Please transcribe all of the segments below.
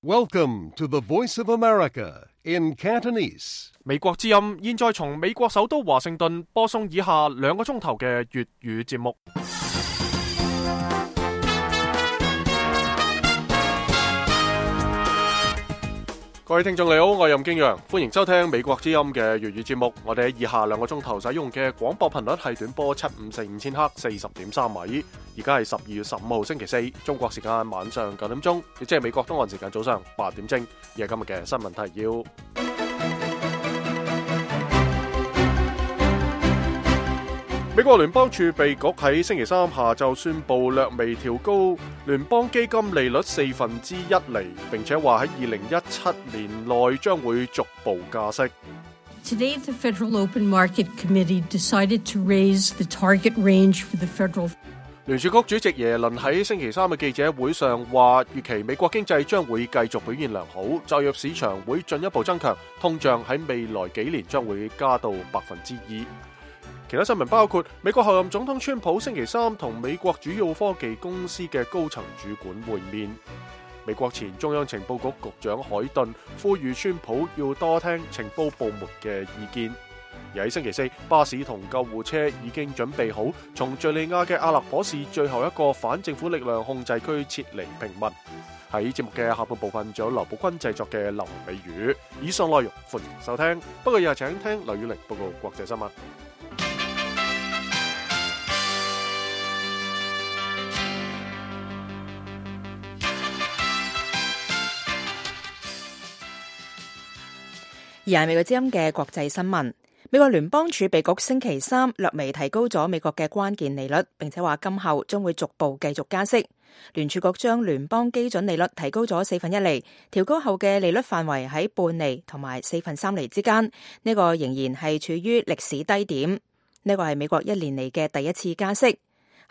Welcome to the Voice of America in Cantonese. 美國之音現在從美國首都華盛頓播送以下2個鐘頭嘅粵語節目。各位聽眾你好，我係任敬陽，歡迎收聽美國之音嘅粵語節目。我哋喺以下2個鐘頭使用嘅廣播頻率係短波7545000赫40.3米。而家係12月15號星期四，中國時間晚上9點鐘，亦即係美國東岸時間早上8點正。而係今日嘅新聞提要。美國聯邦儲備局喺星期三下晝宣布略微調高聯邦基金利率1/4厘，並且話喺2017年內將會逐步加息。Today, the Federal Open Market Committee decided to raise the target range for the federal. 聯儲局主席耶倫喺星期三嘅記者會上話，預期美國經濟將會繼續表現良好，就業市場會進一步增強，通脹喺未來幾年將會加到2%。其他新聞包括美國候任總統川普星期三同美國主要科技公司嘅高層主管會面。美國前中央情報局局長海頓呼籲川普要多聽情報部門嘅意見。而喺星期四，巴士同救護車已經準備好從敘利亞嘅阿勒頗市最後一個反政府力量控制區撤離平民。喺節目嘅下半部分，仲有劉寶君製作嘅流行美語。以上內容歡迎收聽，不過以下請聽劉宇玲報告國際新聞。而係美國之音嘅國際新聞，美國聯邦儲備局星期三略微提高咗美國嘅關鍵利率，並且話今後將會逐步繼續加息。聯儲局將聯邦基準利率提高咗1/4厘，調高後嘅利率範圍喺半厘同埋3/4厘之間，呢個仍然係處於歷史低點。呢個係美國1年嚟嘅第一次加息。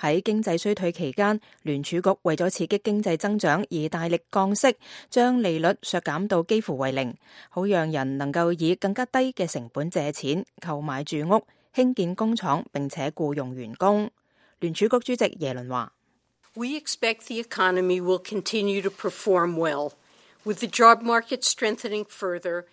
喺經濟衰退期間，聯儲局為咗刺激經濟增長而大力降息，將利率削減到幾乎為零，好讓人能夠以更加低嘅成本借錢購買住屋、興建工廠並且僱用員工。聯儲局主席耶倫話：We expect the economy will continue to perform well, with the job market strengthening further.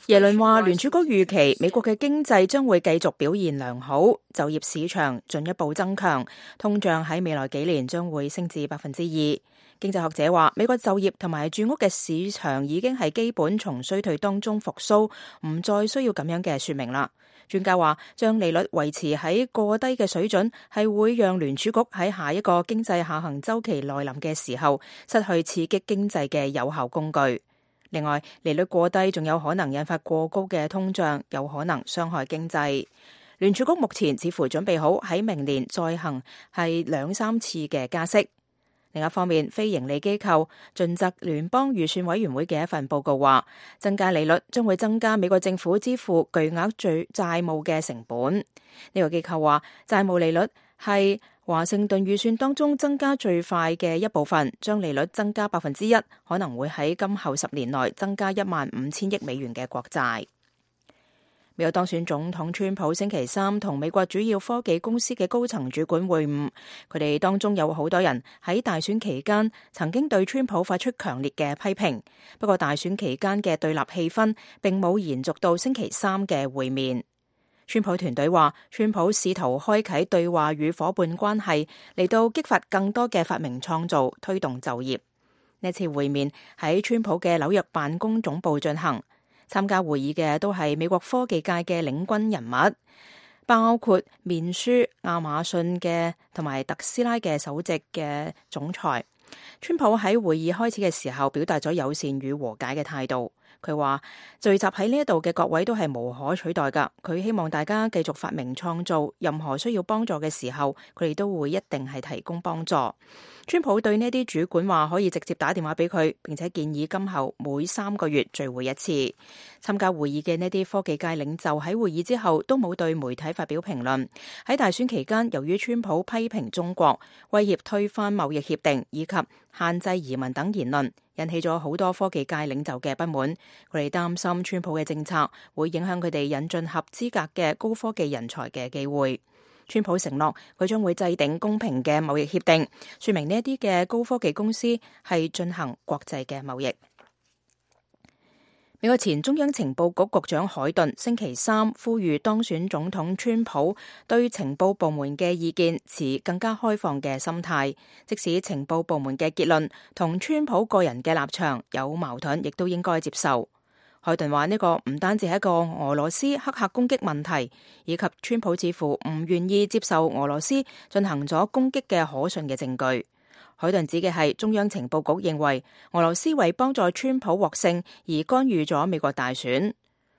耶倫話，聯儲局預期美國嘅經濟將會繼續表現良好，就業市場進一步增強，通脹喺未來幾年將會升至2%。經濟學者話，美國就業同埋住屋嘅市場已經係基本從衰退當中復甦，唔再需要咁樣嘅說明啦。專家話，將利率維持喺過低嘅水準，係會讓聯儲局喺下一個經濟下行週期來臨嘅時候，失去刺激經濟嘅有效工具。另外，利率過低仲有可能引發過高嘅通脹，有可能傷害經濟。聯儲局目前似乎準備好喺明年再行係2-3次嘅加息。另一方面，非營利機構盡責聯邦預算委員會嘅一份報告話，增加利率將會增加美國政府支付巨額債務嘅成本。呢個機構話，債務利率係華盛頓預算當中增加最快嘅一部分，將利率增加1%，可能會喺今後10年內增加15000億美元嘅國債。美國當選總統川普星期三同美國主要科技公司嘅高層主管會晤，佢哋當中有好多人喺大選期間曾經對川普發出強烈嘅批評，不過大選期間嘅對立氣氛並冇延續到星期三嘅會面。川普團隊話，川普試圖開啟對話與夥伴關係，嚟到激發更多嘅發明創造，推動就業。呢次會面喺川普嘅紐約辦公總部進行，參加會議嘅都係美國科技界嘅領軍人物，包括面書、亞馬遜嘅同埋特斯拉嘅首席嘅總裁。川普喺會議開始嘅時候表達咗友善與和解嘅態度。佢話聚集喺呢一度嘅各位都係無可取代㗎，佢希望大家繼續發明創造，任何需要幫助嘅時候，佢哋都會一定係提供幫助。川普對呢啲主管話可以直接打電話俾佢，並且建議今後每3個月聚會一次。參加會議嘅呢啲科技界領袖喺會議之後都冇對媒體發表評論。喺大選期間，由於川普批評中國、威脅推翻貿易協定以及限制移民等言論，引起咗好多科技界領袖嘅不滿。佢哋擔心川普嘅政策會影響佢哋引進合資格嘅高科技人才嘅機會。川普承諾佢將會制定公平嘅貿易協定，說明呢一啲嘅高科技公司係進行國際嘅貿易。美國前中央情報局局長海頓星期三呼籲當選總統川普對情報部門嘅意見持更加開放嘅心態，即使情報部門嘅結論同川普個人嘅立場有矛盾，亦都應該接受。海頓話呢個唔單止係一個俄羅斯黑客攻擊問題，以及川普似乎唔願意接受俄羅斯進行咗攻擊嘅可信嘅證據。海頓指嘅係中央情報局認為俄羅斯為幫助川普獲勝而干預咗美國大選。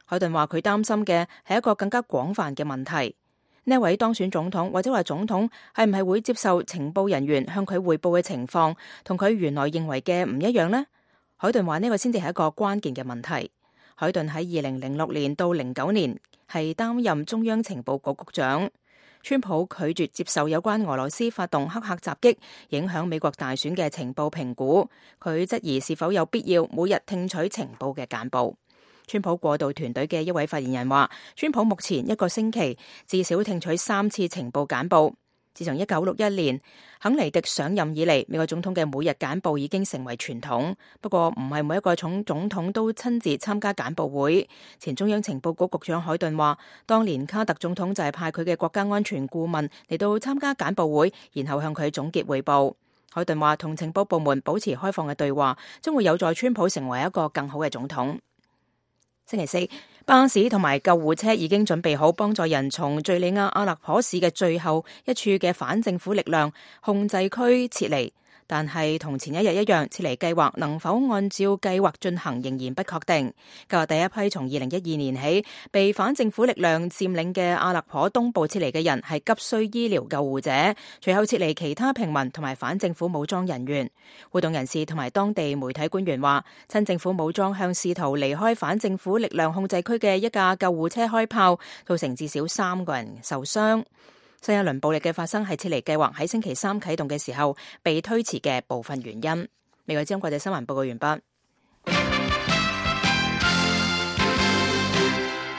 海頓話佢擔心嘅係一個更加廣泛嘅問題，呢位當選總統或者話總統係唔係會接受情報人員向佢匯報嘅情況同佢原來認為嘅唔一樣呢？海頓話呢個先至係一個關鍵嘅問題。海頓喺2006年到09年係擔任中央情報局局長。川普拒絕接受有關俄羅斯發動黑客襲擊影響美國大選嘅情報評估，佢質疑是否有必要每日聽取情報嘅簡報。川普過渡團隊嘅一位發言人話，川普目前一個星期至少聽取3次情報簡報。自從1961年肯尼迪上任以嚟，美國總統嘅每日簡報已經成為傳統。不過唔係每一個總統都親自參加簡報會。前中央情報局局長海頓話，當年卡特總統就係派佢嘅國家安全顧問嚟到參加簡報會，然後向佢總結彙報。海頓話，同情報部門保持開放嘅對話，將會有助川普成為一個更好嘅總統。星期四，巴士同埋救護車已經準備好幫助人從敘利亞阿勒頗市嘅最後一處嘅反政府力量控制區撤離，但係同前一日一樣，撤離計劃能否按照計劃進行仍然不確定。計劃第一批從2012年起被反政府力量佔領嘅阿勒頗東部撤離嘅人係急需醫療救護者，隨後撤離其他平民同埋反政府武裝人員。活動人士同埋當地媒體官員話，親政府武裝向試圖離開反政府力量控制區嘅一架救護車開炮，造成至少3個人受傷。新一輪暴力嘅發生係撤離計劃喺星期三啟動嘅時候被推遲嘅部分原因。美國之音國際新聞報告完畢。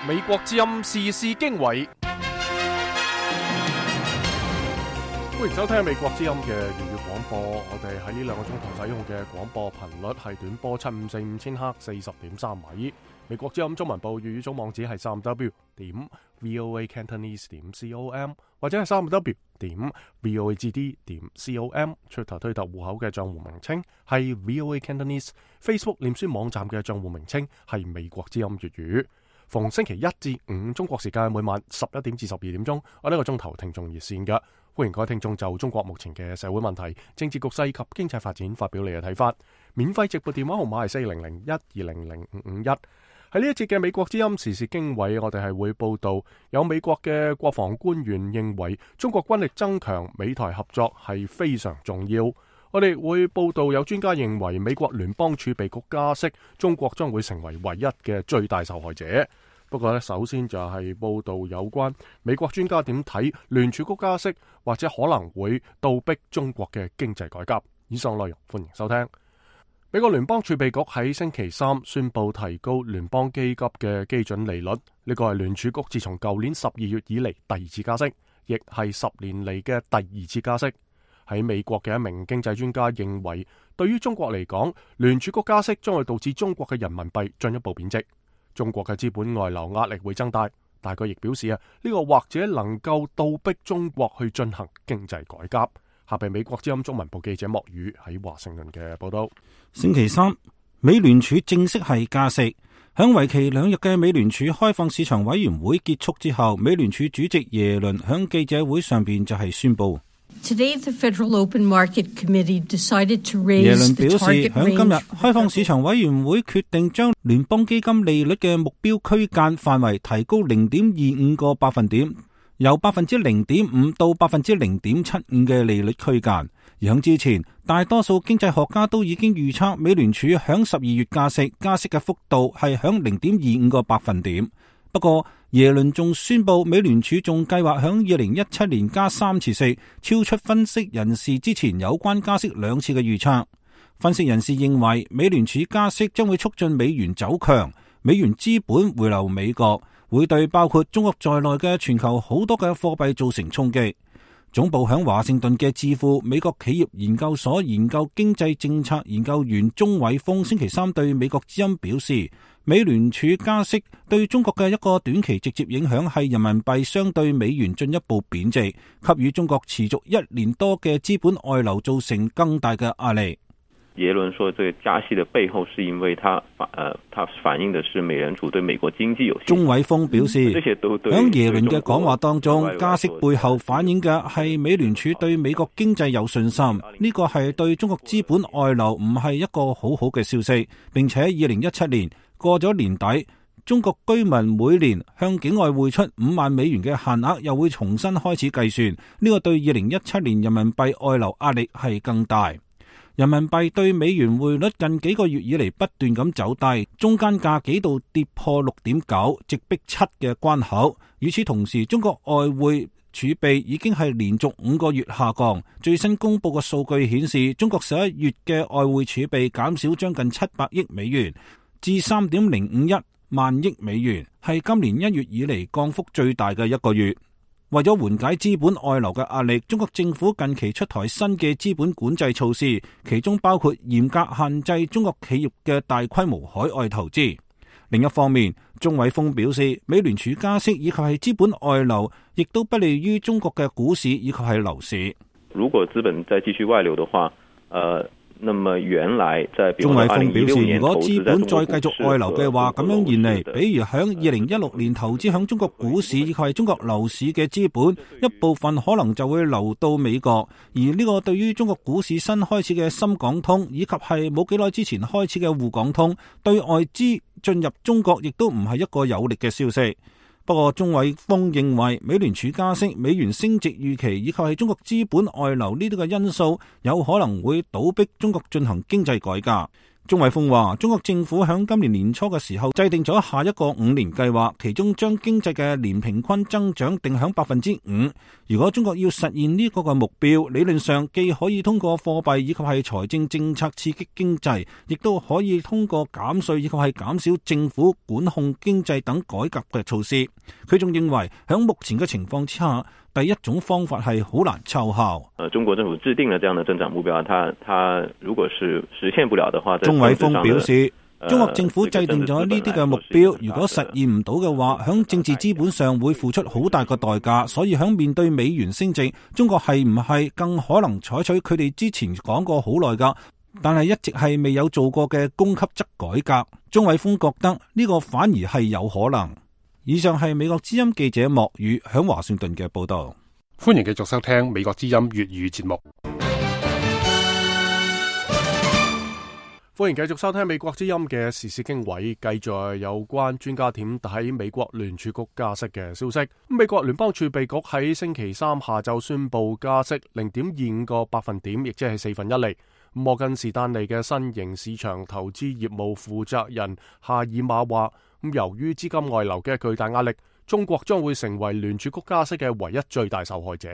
美國之音時事經緯，歡迎收聽美國之音嘅粵語廣播。我哋喺呢2個鐘頭使用嘅廣播頻率係短波7545千赫40.3米。美國之音中文部粵語總網址係3w.voacantonese.com 或者係3w.voagd.com。出頭推特戶口嘅賬戶名稱係 VOA Cantonese。Facebook 臉書網站嘅賬戶名稱係美國之音粵語。逢星期1至5中國時間每晚11點至12點鐘，我呢個鐘頭聽眾熱線嘅，歡迎各位聽眾就中國目前嘅社會問題、政治局勢及經濟發展發表你嘅睇法。免費直撥電話號碼係40012005551。喺呢一節嘅美國之音時事經緯，我哋係會報道有美國嘅國防官員認為中國軍力增強，美台合作係非常重要。我哋會報道有專家認為美國聯邦儲備局加息，中國將會成為唯一嘅最大受害者。不過首先就係報道有關美國專家點睇聯儲局加息，或者可能會倒逼中國嘅經濟改革。以上內容歡迎收聽。美國聯邦儲備局喺星期三宣布提高聯邦基金嘅基準利率，呢個係聯儲局自從舊年12月以嚟第2次加息，亦係10年嚟嘅第2次加息。喺美國嘅一名經濟專家認為，對於中國嚟講，聯儲局加息將會導致中國嘅人民幣進一步貶值，中國嘅資本外流壓力會增大。但佢亦表示呢個或者能夠倒逼中國去進行經濟改革。下邊美國之音中文部記者莫宇喺華盛頓嘅報道。星期三，美聯儲正式係加息。響為期2日嘅美聯儲開放市場委員會結束之後，美聯儲主席耶倫響記者會上邊就係宣布。Today, the Federal Open Market Committee decided to raise 耶倫表示，響今日開放市場委員會決定將聯邦基金利率嘅目標區間範圍提高0.25個百分點。由 0.5% 到 0.75% 嘅利率區間，而響之前，大多數經濟學家都已經預測美聯儲響12月加息嘅幅度係響 0.25個百分點。不過耶倫仲宣布，美聯儲仲計劃響2017年加3次息，超出分析人士之前有關加息2次嘅預測。分析人士認為，美聯儲加息將會促進美元走強，美元資本回流美國，會對包括中國在內嘅全球好多嘅貨幣造成衝擊。總部響華盛頓嘅智庫美國企業研究所研究經濟政策研究員鍾偉峰星期三對美國之音表示，美聯儲加息對中國嘅一個短期直接影響係人民幣相對美元進一步貶值，給予中國持續1年多嘅資本外流造成更大嘅壓力。耶倫說，這個加息的背後是因為它反映的是美聯儲對美國經濟有信心。鍾偉峰表示，響耶倫嘅講話當中，加息背後反映嘅係美聯儲對美國經濟有信心，呢個係對中國資本外流唔係一個好好嘅消息，並且2017年過咗年底，中國居民每年向境外匯出5萬美元嘅限額又會重新開始計算，呢個對2017年人民幣外流壓力係更大。人民幣對美元匯率近幾個月以嚟不斷咁走低，中間價幾度跌破6.9，直逼7嘅關口。與此同時，中國外匯儲備已經係連續5個月下降。最新公布嘅數據顯示，中國11月嘅外匯儲備減少將近700億美元，至3.051萬億美元，係今年1月以嚟降幅最大嘅一個月。為咗緩解資本外流嘅壓力，中國政府近期出台新嘅資本管制措施，其中包括嚴格限制中國企業嘅大規模海外投資。另一方面，鍾偉峰表示，美聯儲加息以及係資本外流，亦都不利於中國嘅股市以及係樓市。如果資本再繼續外流的話，那麼原來在鍾偉峰表示，如果資本再繼續外流嘅話，咁樣現嚟，比如響2016年投資響中國股市以及係中國樓市嘅資本，一部分可能就會流到美國，而呢個對於中國股市新開始嘅深港通，以及係冇幾耐之前開始嘅滬港通，對外資進入中國亦都唔係一個有力嘅消息。不過，鍾偉峰認為美聯儲加息、美元升值預期以及係中國資本外流呢啲嘅因素，有可能會倒逼中國進行經濟改革。鍾偉峰話，中國政府響今年年初嘅時候制定咗下一個5年計劃，其中將經濟嘅年平均增長定響5%。如果中國要實現呢個嘅目標，理論上既可以通過貨幣以及係財政政策刺激經濟，亦都可以通過減稅以及係減少政府管控經濟等改革嘅措施。佢仲認為響目前嘅情況之下，第一種方法係好難奏效。中國政府制定了這樣的增長目標，它如果是實現不了的話，鍾偉峰表示，中國政府制定咗呢啲嘅目標，如果實現唔到嘅話，響政治資本上會付出好大個代價。所以響面對美元升值，中國係唔係更可能採取佢哋之前講過好耐噶，但係一直係未有做過嘅供給側改革？鍾偉峰覺得呢個反而係有可能。以上係美國之音記者莫宇響華盛頓嘅報道。歡迎繼續收聽美國之音粵語節目。歡迎繼續收聽美國之音嘅時事經緯，繼續有關專家點睇美國聯儲局加息嘅消息。美國聯邦儲備局喺星期三下晝宣布加息0.25個百分點，亦即係1/4厘。摩根士丹利嘅新型市場投資業務負責人夏爾馬話，由於資金外流嘅巨大壓力，中國將會成為聯儲局加息嘅唯一最大受害者。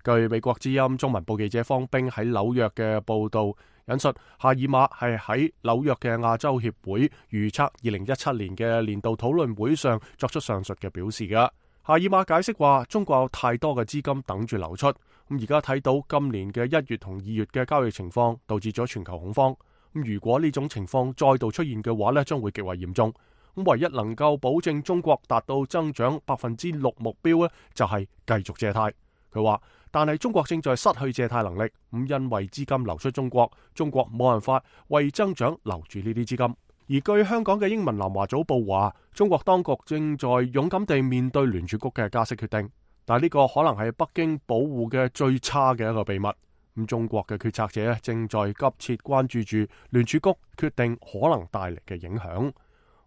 據美國之音中文部記者方冰喺紐約嘅報道引述，夏爾馬係喺紐約嘅亞洲協會預測2017年嘅年度討論會上作出上述嘅表示嘅。夏爾馬解釋話，中國有太多嘅資金等住流出，咁而家睇到今年嘅1月同2月嘅交易情況，導致咗全球恐慌。咁如果呢種情況再度出現嘅話呢，將會極為嚴重。咁唯一能夠保證中國達到增長6%目標呢，就係繼續借貸。佢話，但係中國正在失去借貸能力，咁因為資金流出中國，中國冇辦法為增長留住呢啲資金。而據香港嘅英文南華早報話，中國當局正在勇敢地面對聯儲局嘅加息決定，但係呢個可能係北京保護嘅最差嘅一個秘密。咁中國嘅決策者正在急切關注住聯儲局決定可能帶嚟嘅影響。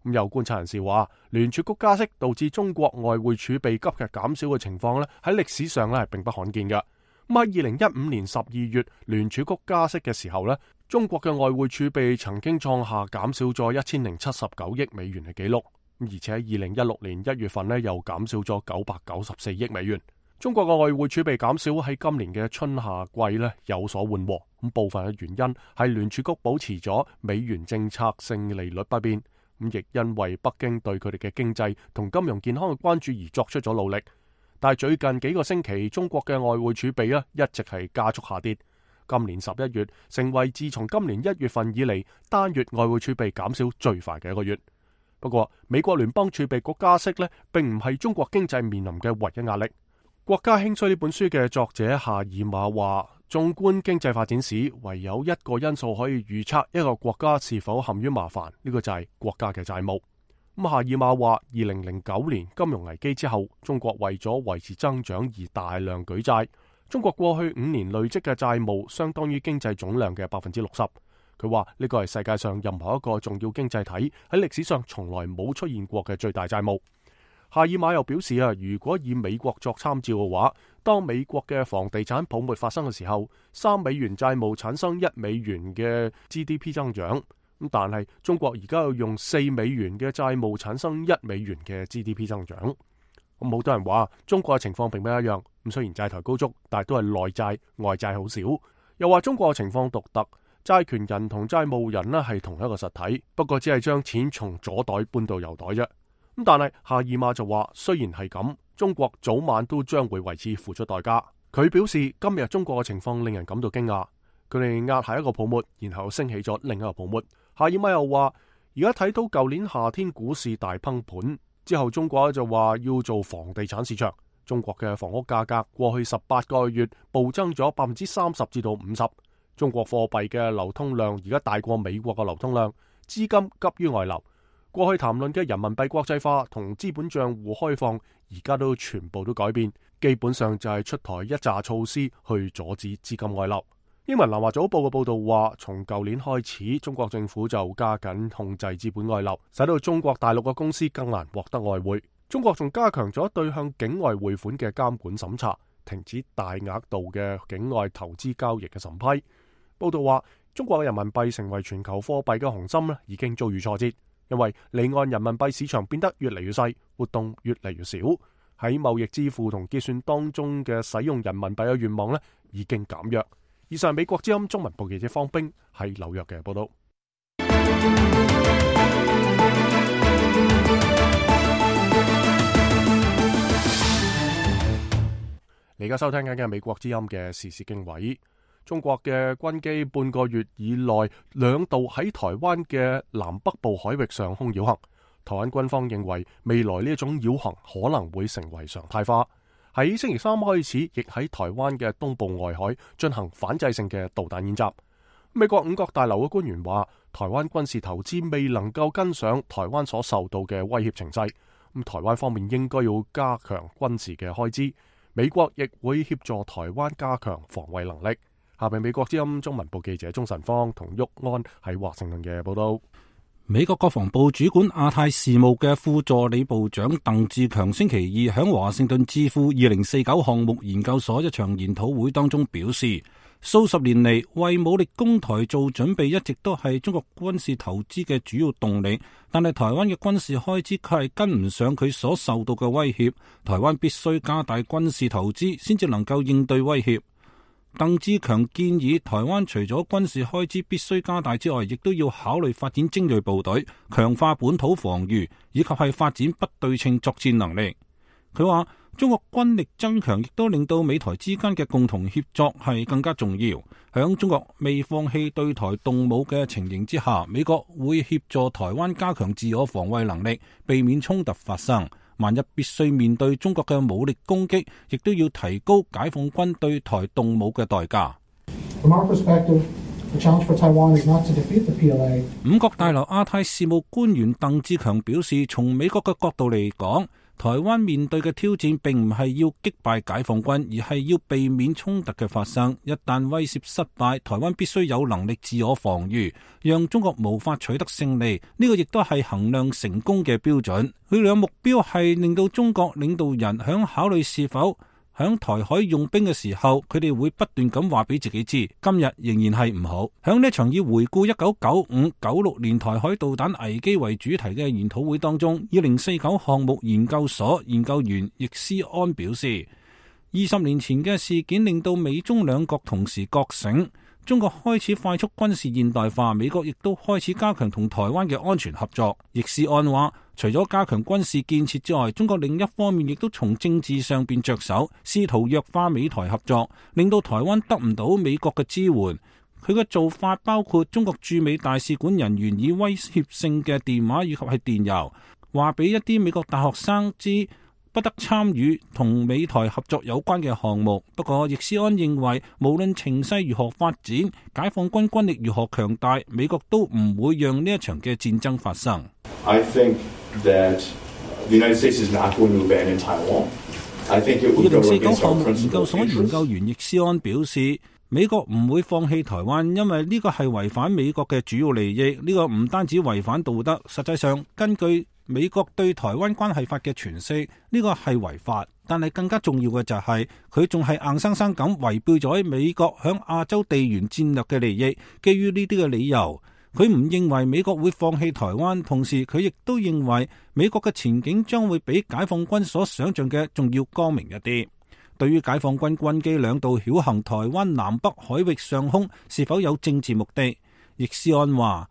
咁有觀察人士話，聯儲局加息導致中國外匯儲備急劇減少嘅情況咧，喺歷史上咧係並不罕見嘅。咁喺2015年12月聯儲局加息嘅時候咧，中國嘅外匯儲備曾經創下減少咗1079億美元嘅紀錄，而且喺2016年1月份咧又減少咗994億美元。中國嘅外匯儲備減少喺今年嘅春夏季咧有所緩和，咁部分嘅原因係聯儲局保持咗美元政策性利率不變。咁亦因為北京對佢哋嘅經濟同金融健康嘅關注而作出咗努力，但係最近幾個星期，中國嘅外匯儲備一直係加速下跌。今年11月成為自從今年1月份以嚟單月外匯儲備減少最快嘅一個月。不過，美國聯邦儲備局加息並唔係中國經濟面臨嘅唯一壓力。國家興衰呢本書嘅作者夏爾馬話，縱觀經濟發展史，唯有一個因素可以預測一個國家是否陷於麻煩，呢個就係國家嘅債務。夏爾馬話，2009年金融危機之後，中國為咗維持增長而大量舉債。中國過去5年累積嘅債務相當於經濟總量嘅60%。佢話呢個係世界上任何一個重要經濟體喺歷史上從來冇出現過嘅最大債務。夏爾馬又表示如果以美國作參照嘅話，當美國嘅房地產泡沫發生嘅時候，3美元債務產生1美元嘅 GDP 增長。但係中國而家要用4美元嘅債務產生1美元嘅 GDP 增長。好多人話中國嘅情況並不一樣。雖然債台高築，但係都係內債，外債好少。又話中國嘅情況獨特，債權人同債務人係同一個實體，不過只係將錢從左袋搬到右袋啫。但係夏爾馬就話，雖然係咁，中國早晚都將會為此付出代價。佢表示，今日中國嘅情況令人感到驚訝，佢哋壓下一個泡沫，然後升起咗另一個泡沫。夏爾馬又話，而家睇到舊年夏天股市大崩盤之後，中國就話要做房地產市場。中國嘅房屋價格過去18個月暴增咗30%至到50%。中國貨幣嘅流通量而家大過美國嘅流通量，資金急於外流。過去談論嘅人民幣國際化同資本賬戶開放，而家都全部都改變，基本上就係出台一紮措施去阻止資金外流。英文南華早報嘅報道話，從舊年開始，中國政府就加緊控制資本外流，使到中國大陸嘅公司更難獲得外匯。中國仲加強咗對向境外匯款嘅監管審查，停止大額度嘅境外投資交易嘅審批。報道話，中國嘅人民幣成為全球貨幣嘅雄心已經遭遇挫折，因為離岸人民幣市場變得越嚟越細，活動越嚟越少，喺貿易支付同結算當中嘅使用人民幣嘅願望已經減弱。以上美國之音中文部記者方冰喺紐約嘅報道。你而家收聽緊嘅美國之音嘅時事經緯。中國嘅軍機半個月以內2度喺台灣嘅南北部海域上空繞行。台灣軍方認為未來呢一種繞行可能會成為常態化。喺星期3開始，亦喺台灣嘅東部外海進行反制性嘅導彈演習。美國五角大樓嘅官員話，台灣軍事投資未能夠跟上台灣所受到嘅威脅情勢。台灣方面應該要加強軍事嘅開支。美國亦會協助台灣加強防衛能力。下邊美國之音中文部記者鍾晨芳同郁安喺華盛頓嘅報道。美國國防部主管亞太事務嘅副助理部長鄧志強星期二響華盛頓智庫2049項目研究所一場研討會當中表示，數十年嚟為武力攻台做準備一直都係中國軍事投資嘅主要動力，但係台灣嘅軍事開支卻係跟唔上佢所受到嘅威脅，台灣必須加大軍事投資先至能夠應對威脅。鄧志強建議台灣除咗軍事開支必須加大之外，亦都要考慮發展精銳部隊，強化本土防禦，以及係發展不對稱作戰能力。佢話中國軍力增強亦都令到美台之間嘅共同協作係更加重要。響中國未放棄對台動武嘅情形之下，美國會協助台灣加強自我防衛能力，避免衝突發生。萬一必須面對中國嘅武力攻擊，亦都要提高解放軍對台動武嘅代價。五角大樓亞太事務官員鄧志強表示，從美國嘅角度嚟講，台灣面對嘅挑戰並唔係要擊敗解放軍，而係要避免衝突嘅發生。一旦威懾失敗，台灣必須有能力自我防禦，讓中國無法取得勝利。呢個亦都係衡量成功嘅標準。佢哋嘅目標係令到中國領導人響考慮是否響台海用兵嘅時候，佢哋會不斷咁話俾自己知，今日仍然係唔好。響呢場以回顧1995-96年台海導彈危機為主題嘅研討會當中，2049項目研究所研究員易思安表示，20年前嘅事件令到美中兩國同時覺醒，中國開始快速軍事現代化，美國亦都開始加強同台灣嘅安全合作。易思安話，除咗加強軍事建設之外，中國另一方面亦都從政治上邊着手，試圖弱化美台合作，令到台灣得唔到美國嘅支援。佢嘅做法包括中國駐美大使館人員以威脅性嘅電話以及係電郵，話俾一啲美國大學生知不得參與同美台合作有關嘅項目。不過，易思安認為，無論情勢如何發展，解放軍軍力如何強大，美國都唔會讓呢一場嘅戰爭發生。I think that the United States is not going to abandon Taiwan. I think it will go against our principles. 2049項目研究所研究員易思安表示，美國唔會放棄台灣，因為呢個係違反美國嘅主要利益。呢個唔單止違反道德，實際上根據美國對台灣關係法嘅詮釋，呢個係違法。但係更加重要嘅就係佢仲係硬生生咁違背咗美國響亞洲地緣戰略嘅利益。基於呢啲嘅理由，佢唔認為美國會放棄台灣，同時佢亦都認為美國嘅前景將會比解放軍所想象嘅仲要光明一啲。對於解放軍軍機兩度繞行台灣南北海域上空是否有政治目的，易思安話，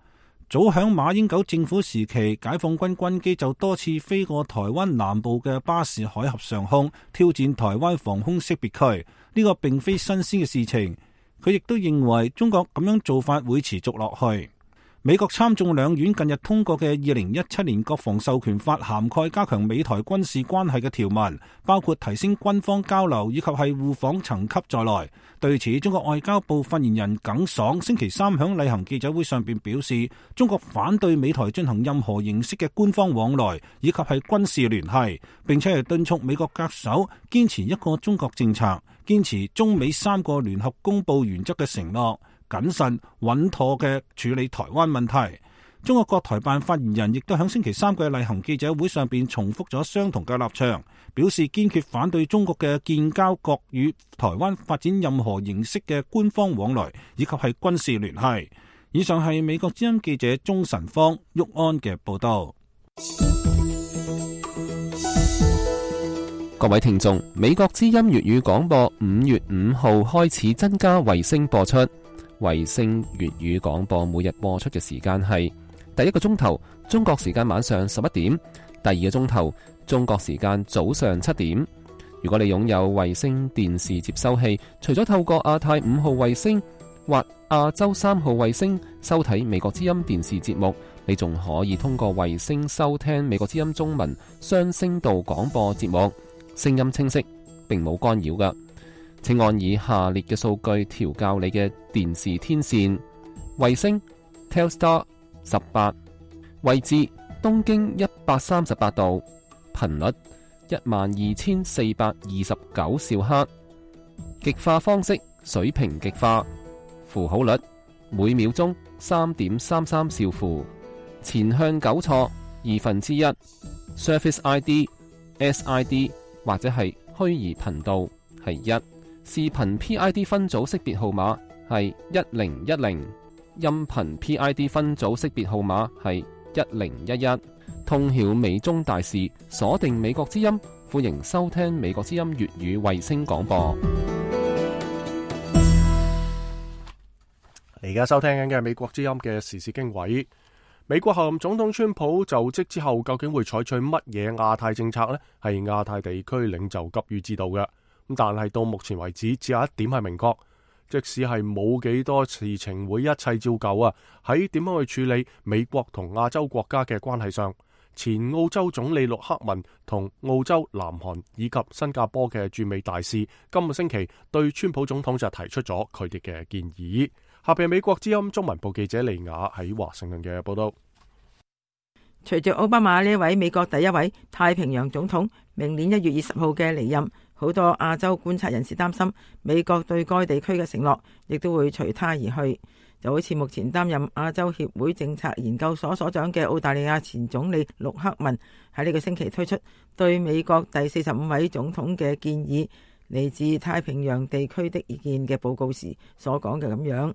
早響馬英九政府時期，解放軍軍機就多次飛過台灣南部嘅巴士海峽上空，挑戰台灣防空識別區。呢個並非新鮮嘅事情。佢亦都認為中國咁樣做法會持續落去。美國參眾兩院近日通過嘅2017年國防授權法涵蓋加強美台軍事關係嘅條文，包括提升軍方交流以及係互訪層級在內。對此，中國外交部發言人耿爽星期三響例行記者會上邊表示，中國反對美台進行任何形式嘅官方往來以及係軍事聯繫，並且係敦促美國恪守堅持一個中國政策，堅持中美3個聯合公報原則嘅承諾，謹慎穩妥嘅處理台灣問題。中國國台辦發言人亦都喺星期三嘅例行記者會上邊重複咗相同嘅立場，表示堅決反對中國嘅建交國與台灣發展任何形式嘅官方往來以及係軍事聯繫。以上係美國之音記者鍾晨芳、郁安嘅報道。各位聽眾，美國之音粵語廣播5月5號開始增加衛星播出。衛星粵語廣播每日播出嘅時間係第一個鐘頭中國時間晚上11點，第二個鐘頭中國時間早上7點。如果你擁有衛星電視接收器，除咗透過亞太5號衛星或亞洲3號衛星收睇美國之音電視節目，你仲可以通過衛星收聽美國之音中文雙聲道廣播節目，聲音清晰，並冇干擾㗎。請按以下列嘅數據調校你嘅電視天線：衛星 Telstar 18，位置東經138度，頻率12429兆赫，極化方式水平極化，符號率每秒鐘3.33兆符，前向糾錯1/2， Surface ID、SID 或者係虛擬頻道係1。視頻 PID 分組識別號碼係1010，音頻 PID 分組識別號碼係1011。通曉美中大事，鎖定美國之音，歡迎收聽美國之音粵語衛星廣播。而家收聽緊嘅係美國之音嘅時事經緯。美國候任總統川普就職之後，究竟會採取乜嘢亞太政策呢？係亞太地區領袖急於知道嘅。但係到目前為止，只有一點係明確，即使係冇幾多事情會一切照舊啊，喺點樣去處理美國同亞洲國家嘅關係上，前澳洲總理陸克文同澳洲、南韓以及新加坡嘅駐美大使今個星期對川普總統就提出咗佢哋嘅建議。下邊美國之音中文部記者利亞喺華盛頓嘅報道。隨住奧巴馬呢位美國第一位太平洋總統明年1月20號嘅離任，好多亞洲觀察人士擔心美國對該地區嘅承諾亦都會隨他而去。就好似目前擔任亞洲協會政策研究所所長嘅澳大利亞前總理陸克文喺呢個星期推出對美國第45位總統嘅建議，嚟自太平洋地區的意見嘅報告時所講嘅咁樣，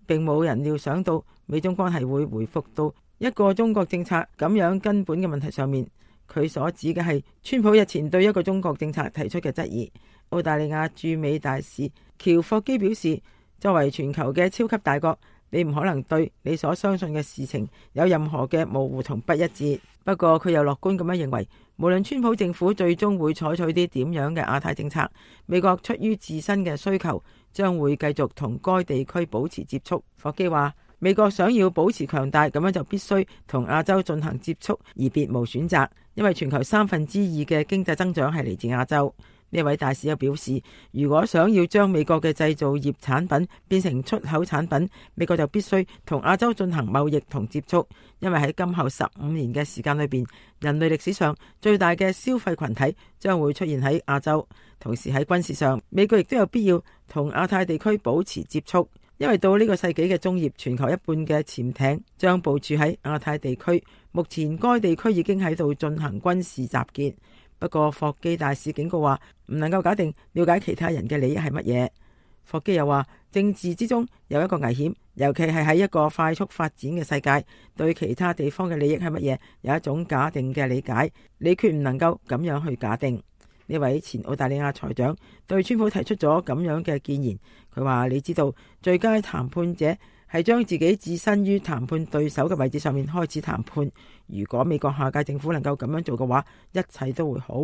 並冇人料想到美中關係會回復到一個中國政策咁樣根本嘅問題上面。佢所指嘅係川普日前對一個中國政策提出嘅質疑。澳大利亞駐美大使喬霍基表示，作為全球嘅超級大國，你唔可能對你所相信嘅事情有任何嘅模糊同不一致。不過佢又樂觀咁樣認為，無論川普政府最終會採取啲點樣嘅亞太政策，美國出於自身嘅需求，將會繼續同該地區保持接觸。霍基話，美國想要保持強大，咁樣就必須同亞洲進行接觸，而別無選擇，因為全球2/3嘅經濟增長係嚟自亞洲。呢位大使又表示，如果想要將美國嘅製造業產品變成出口產品，美國就必須同亞洲進行貿易同接觸，因為喺今後15年嘅時間裏邊，人類歷史上最大嘅消費群體將會出現喺亞洲。同時喺軍事上，美國亦都有必要同亞太地區保持接觸，因為到呢個世紀嘅中葉，全球一半嘅潛艇將部署喺亞太地區。目前該地區已經喺度進行軍事集結。不過霍基大使警告話，唔能夠假定了解其他人嘅利益係乜嘢。霍基又話，政治之中有一個危險，尤其係喺一個快速發展嘅世界，對其他地方嘅利益係乜嘢有一種假定嘅理解，你決唔能夠咁樣去假定。呢位前澳大利亞財長對川普提出咗咁樣嘅建言，佢話，你知道最佳談判者係將自己置身於談判對手嘅位置上面開始談判。如果美國下屆政府能夠咁樣做嘅話，一切都會好。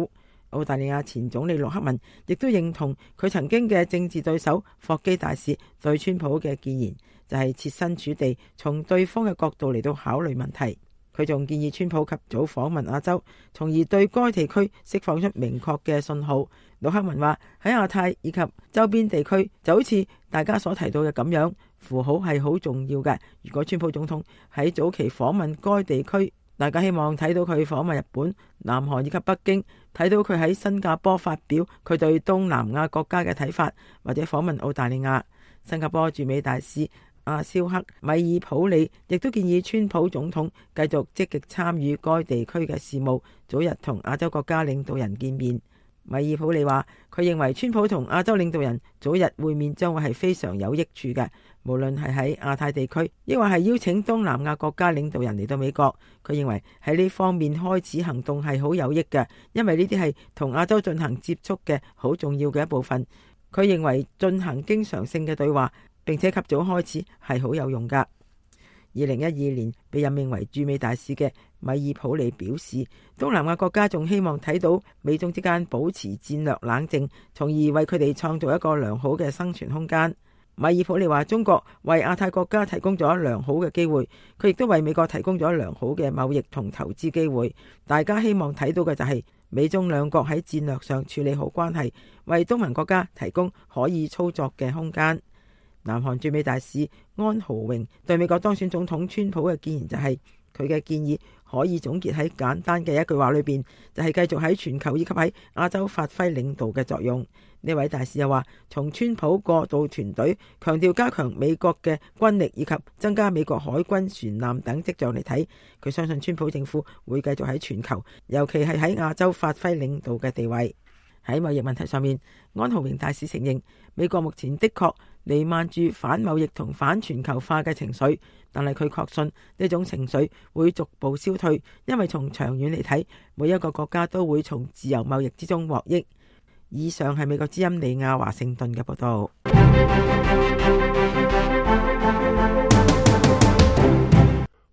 澳大利亞前總理陸克文亦都認同佢曾經嘅政治對手霍基大使對川普嘅建言，就係設身處地從對方嘅角度嚟到考慮問題。佢仲建議川普及早訪問亞洲，從而對該地區釋放出明確嘅信號。陸克文話，喺亞太以及周邊地區就好似大家所提到嘅咁樣，符號係好重要嘅。如果川普總統喺早期訪問該地區，大家希望睇到佢訪問日本、南韓以及北京，睇到佢喺新加坡發表佢對東南亞國家嘅睇法，或者訪問澳大利亞。新加坡駐美大使阿肖克米爾普里亦都建議川普總統繼續積極參與該地區嘅事務，早日同亞洲國家領導人見面。米爾普里話，佢認為川普同亞洲領導人早日會面將會係非常有益處嘅，無論係喺亞太地區，抑或係邀請東南亞國家領導人嚟到美國。佢認為喺呢方面開始行動係好有益嘅，因為呢啲係同亞洲進行接觸嘅好重要嘅一部分。佢認為進行經常性嘅對話，並且及早開始係好有用噶。2012年被任命為駐美大使嘅米爾普利表示，東南亞國家仲希望睇到美中之間保持戰略冷靜，從而為佢哋創造一個良好嘅生存空間。米爾普利話，中國為亞太國家提供咗良好嘅機會，佢亦都為美國提供咗良好嘅貿易同投資機會。大家希望睇到嘅就係美中兩國喺戰略上處理好關係，為東盟國家提供可以操作嘅空間。南韓駐美大使安豪榮對美國當選總統川普嘅建言就係，佢嘅建議可以總結喺簡單嘅一句話裏邊，就係繼續喺全球以及喺亞洲發揮領導嘅作用。呢位大使又話，從川普過渡團隊強調加強美國嘅軍力以及增加美國海軍船艦等跡象嚟睇，佢相信川普政府會繼續喺全球，尤其係喺亞洲發揮領導嘅地位。喺貿易問題上面，安豪榮大使承認美國目前的確彌漫住反貿易同反全球化嘅情緒，但係佢確信呢種情緒會逐步消退，因為從長遠嚟睇，每一個國家都會從自由貿易之中獲益。以上係美國之音李亞華盛頓嘅報道。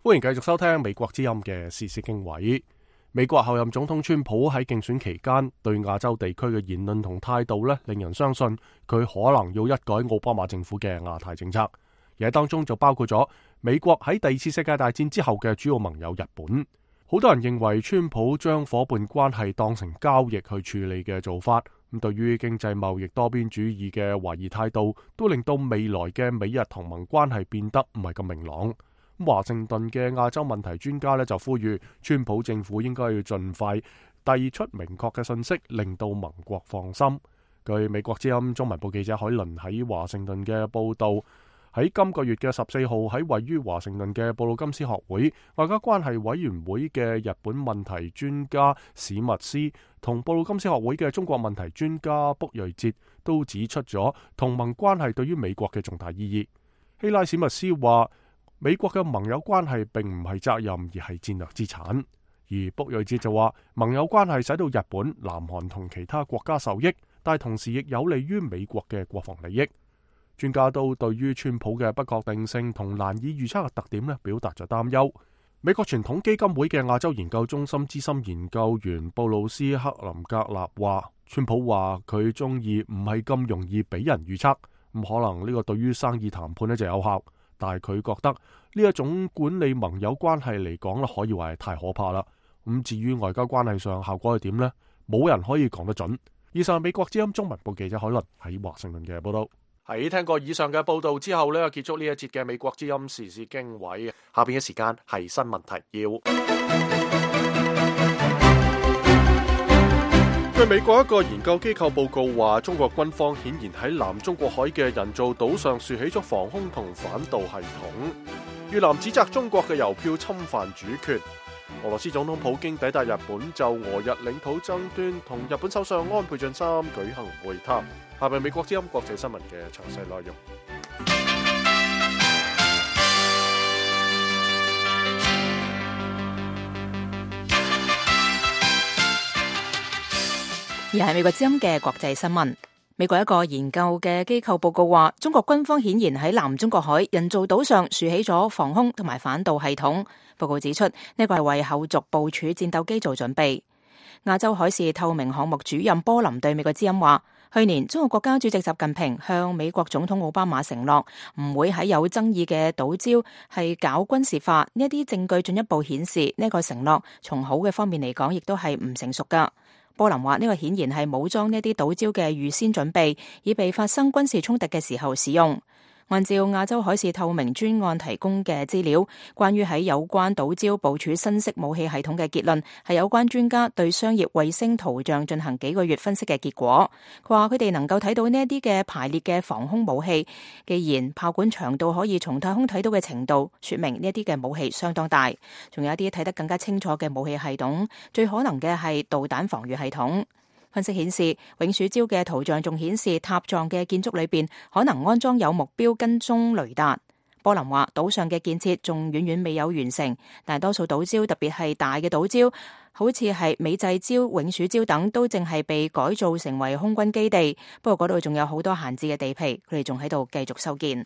歡迎繼續收聽美國之音嘅時事經緯。美國候任總統川普喺競選期間對亞洲地區嘅言論同態度令人相信佢可能要一改奧巴馬政府嘅亞太政策，而喺當中就包括咗美國喺第二次世界大戰之後嘅主要盟友日本。好多人認為川普將伙伴關係當成交易去處理嘅做法，咁對於經濟貿易多邊主義嘅懷疑態度，都令到未來嘅美日同盟關係變得唔係咁明朗。華盛頓嘅亞洲問題專家就呼籲川普政府應該要盡快遞出明確嘅信息，令到盟國放心。據美國之音中文部記者海倫喺華盛頓嘅報道，喺今個月嘅14號喺位於華盛頓嘅布魯金斯學會外交關係委員會嘅日本問題專家史密斯同布魯金斯學會嘅中國問題專家卜瑞哲都指出咗同盟關係對於美國嘅重大意義。希拉史密斯話，美國嘅盟友關係並唔係責任，而係戰略資產。而卜瑞哲就話，盟友關係使到日本、南韓同其他國家受益，但同時亦有利於美國嘅國防利益。專家都對於川普嘅不確定性同難以預測嘅特點表達咗擔憂。美國傳統基金會嘅亞洲研究中心資深研究員布魯斯克林格納話，川普話佢中意唔係咁容易俾人預測，咁可能呢個對於生意談判就有效，但係佢覺得呢一種管理盟友關係嚟講可以話係太可怕啦。咁至於外交關係上效果係點呢？冇人可以講得準。以上係美國之音中文部記者海倫喺華盛頓嘅報道。喺聽過以上嘅報道之後結束呢一節嘅美國之音時事經緯。下邊嘅時間係新聞提要。據美國一個研究機構報告話，中國軍方顯然喺南中國海嘅人造島上豎起咗防空同反導系統。越南指責中國嘅郵票侵犯主權。俄羅斯總統普京抵達日本，就俄日領土爭端同日本首相安倍晉三舉行會談。下面美國之音國際新聞嘅詳細內容。而係美國之音嘅國際新聞。美國一個研究嘅機構報告話，中國軍方顯然喺南中國海人造島上豎起咗防空同埋反導系統。報告指出，呢個係為後續部署戰鬥機做準備。亞洲海事透明項目主任波林對美國之音話，去年中國國家主席習近平向美國總統奧巴馬承諾，唔會喺有爭議嘅島礁係搞軍事化。呢一啲證據進一步顯示，呢個承諾從好嘅方面嚟講，亦都係唔成熟噶。波林話，呢個顯然係武裝呢啲島礁嘅預先準備，以備發生軍事衝突嘅時候使用。按照亞洲海事透明專案提供嘅資料，關於喺有關島礁部署新式武器系統嘅結論，係有關專家對商業衛星圖像進行幾個月分析嘅結果。佢話佢哋能夠睇到呢一啲嘅排列嘅防空武器，既然炮管長度可以從太空睇到嘅程度，說明呢一啲嘅武器相當大。仲有一啲睇得更加清楚嘅武器系統，最可能嘅係導彈防禦系統。分析顯示，永暑礁嘅圖像仲顯示塔狀嘅建築裏邊可能安裝有目標跟蹤雷達。波林話，島上嘅建設仲遠遠未有完成，大多數島礁，特別係大嘅島礁，好似係美濟礁、永暑礁等，都正係被改造成為空軍基地。不過嗰度仲有好多閒置嘅地皮，佢哋仲喺度繼續修建。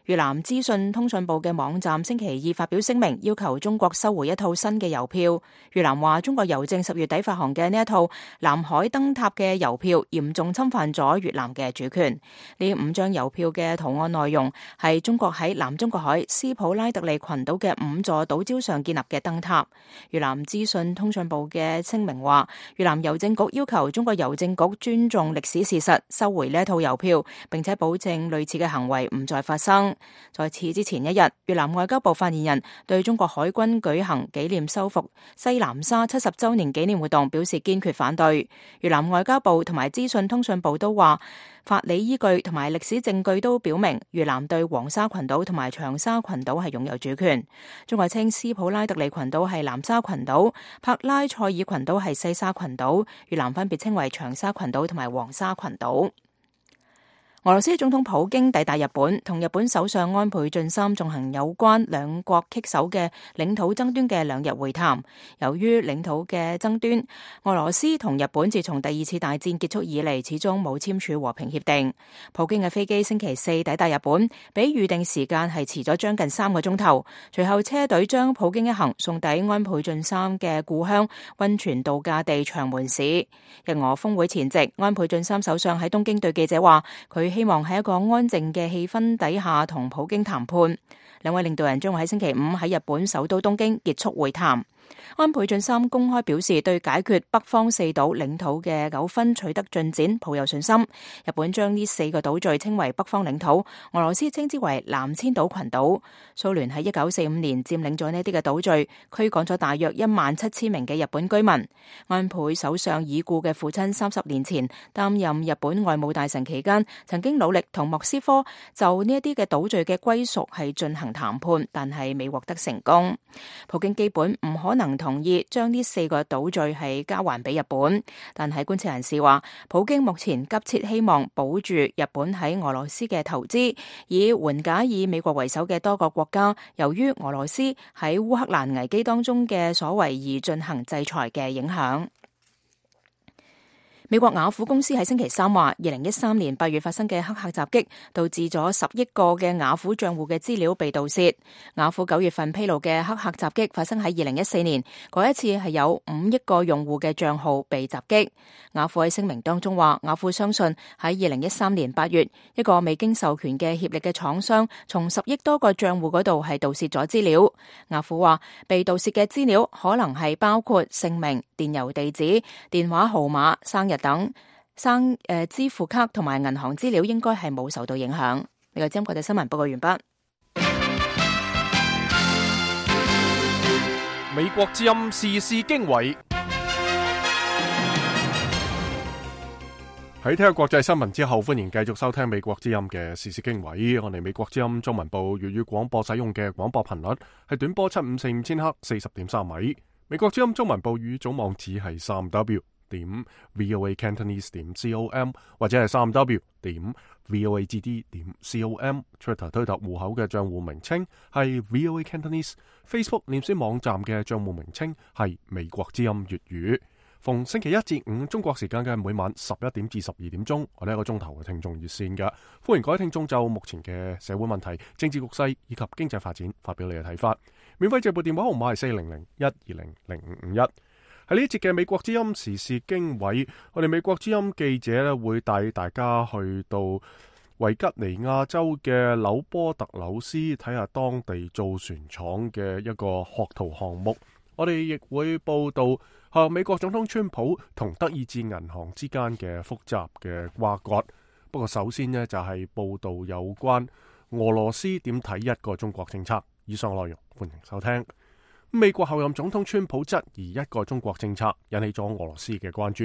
越南資訊通訊部嘅網站星期二發表聲明，要求中國收回一套新嘅郵票。越南話，中國郵政10月底發行嘅呢一套南海燈塔嘅郵票，嚴重侵犯咗越南嘅主權。呢5張郵票嘅圖案內容係中國喺南中國海斯普拉特利群島嘅5座島礁上建立嘅燈塔。越南資訊通訊部嘅聲明話，越南郵政局要求中國郵政局尊重歷史事實，收回呢一套郵票，並且保證類似嘅行為唔再發生。在此之前一日，越南外交部發言人對中國海軍舉行紀念收復西南沙70週年紀念活動表示堅決反對。越南外交部同埋資訊通訊部都話，法理依據同埋歷史證據都表明越南對黃沙群島同埋長沙群島係擁有主權。中國稱斯普拉特利群島係南沙群島，帕拉塞爾群島係西沙群島，越南分別稱為長沙群島同埋黃沙群島。俄羅斯總統普京抵達日本，同日本首相安倍晉三進行有關兩國棘手嘅領土爭端嘅2日會談。由於領土嘅爭端，俄羅斯同日本自從第2次大戰結束以嚟，始終冇簽署和平協定。普京嘅飛機星期4抵達日本，比預定時間係遲咗將近3個鐘頭。隨後車隊將普京一行送抵安倍晉三嘅故鄉溫泉度假地長門市。日俄峰會前夕，安倍晉三首相喺東京對記者話，佢希望喺一個安靜嘅氣氛底下同普京談判。兩位領導人將會喺星期5喺日本首都東京結束會談。安倍晉三公開表示對解決北方4島領土嘅糾紛取得進展抱有信心。日本將呢4個島嶼稱為北方領土，俄羅斯稱之為南千島群島。蘇聯喺1945年佔領咗呢啲嘅島嶼，驅趕咗大約17000名嘅日本居民。安倍首相已故嘅父親30年前擔任日本外務大臣期間，曾經努力同莫斯科就呢一啲嘅島嶼嘅歸屬係進行談判，但係未獲得成功。普京基本唔可能同意將呢4個島嶼係交還俾日本，但係觀察人士話，普京目前急切希望保住日本喺俄羅斯嘅投資，以緩解以美國為首嘅多個國家由於俄羅斯喺烏克蘭危機當中嘅所為而進行制裁嘅影響。美國雅虎公司喺星期三話，2013年8月發生嘅黑客襲擊導致咗10億個嘅雅虎賬戶嘅資料被盜竊。雅虎9月份披露嘅黑客襲擊發生喺2014年，嗰一次係有5億個用戶嘅賬號被襲擊。雅虎喺聲明當中話，雅虎相信喺2013年8月，一個未經授權嘅協力嘅廠商從10億多個賬戶嗰度係盜竊咗資料。雅虎話，被盜竊嘅資料可能係包括姓名、電郵地址、電話號碼、生日等支付卡同埋銀行資料應該係冇受到影響。呢個《國際新聞》報告完畢。美國之音時事經緯。喺聽下國際新聞之後，歡迎繼續收聽美國之音嘅時事經緯。我哋美國之音中文部粵語廣播使用嘅廣播頻率係短波7545千赫40.3米。美國之音中文部語總網址係3w.voacantonese.com 或者係3w.voagd.com。Twitter 推特戶口嘅賬戶名稱係 VOA Cantonese。Facebook 臉書網站嘅賬戶名稱係美國之音粵語。逢星期一至五中國時間嘅每晚11點至12點鐘，我哋一個鐘頭嘅聽眾熱線嘅，歡迎各位聽眾就目前嘅社會問題、政治局勢以及經濟發展發表你嘅睇法。免費直播電話號碼係400-120-0551。喺呢一節嘅美國之音時事經緯，我哋美國之音記者咧會帶大家去到維吉尼亞州嘅紐波特紐斯，睇下當地造船廠嘅一個學徒項目。我哋亦會報道美國總統川普同德意志銀行之間嘅複雜嘅瓜葛。不過首先呢，就係報道有關俄羅斯點睇一個中國政策。以上內容歡迎收聽。美國後任總統川普質疑一個中國政策，引起咗俄羅斯嘅關注。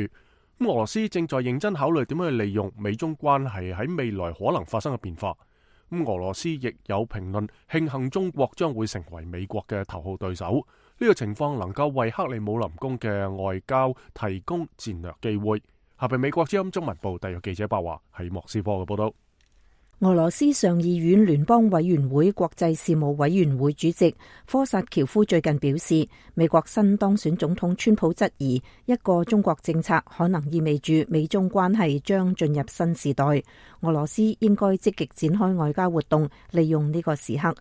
俄羅斯正在認真考慮點樣去利用美中關係喺未來可能發生嘅變化。俄羅斯亦有評論慶幸中國將會成為美國嘅頭號對手。呢個情況能夠為克里姆林宮嘅外交提供戰略機會。下邊美國之音中文部特約記者白華喺莫斯科嘅報道。俄羅斯上議院聯邦委員會國際事務委員會主席科薩喬夫最近表示，美國新當選總統川普質疑一個中國政策可能意味住美中關係將進入新時代。俄羅斯應該積極展開外交活動，利用呢個時刻。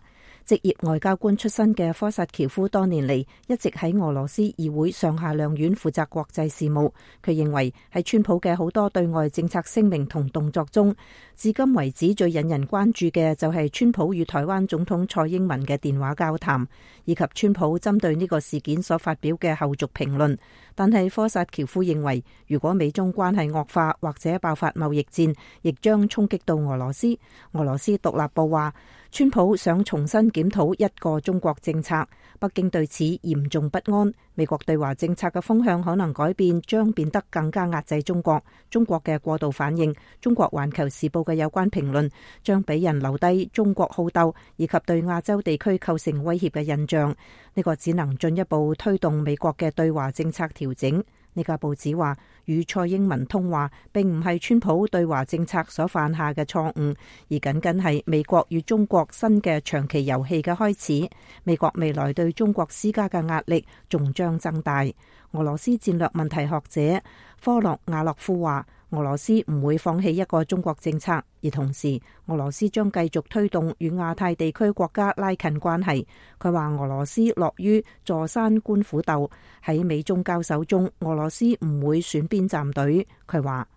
職業外交官出身嘅科薩喬夫多年嚟一直喺俄羅斯議會上下兩院負責國際事務。佢認為喺川普嘅好多對外政策聲明同動作中，至今為止最引人關注嘅就係川普與台灣總統蔡英文嘅電話交談，以及川普針對呢個事件所發表嘅後續評論。但係科薩喬夫認為，如果美中關係惡化或者爆發貿易戰，亦將衝擊到俄羅斯。俄羅斯獨立報話，川普想重新檢討一個中國政策，北京對此嚴重不安。美國對華政策嘅風向可能改變，將變得更加壓制中國。中國嘅過度反應，中國環球時報嘅有關評論，將俾人留低中國好鬥以及對亞洲地區構成威脅嘅印象。呢個只能進一步推動美國嘅對華政策調整。呢個報紙話，與蔡英文通話並唔係川普對華政策所犯下嘅錯誤，而僅僅係美國與中國新嘅長期遊戲嘅開始。美國未來對中國施加嘅壓力仲將增大。俄羅斯戰略問題學者科洛亞洛夫話，俄羅斯唔會放棄一個中國政策，而同時俄羅斯將繼續推動與亞太地區國家拉近關係。佢話俄羅斯樂於坐山觀虎鬥，喺美中交手中，俄羅斯唔會選邊站隊。佢話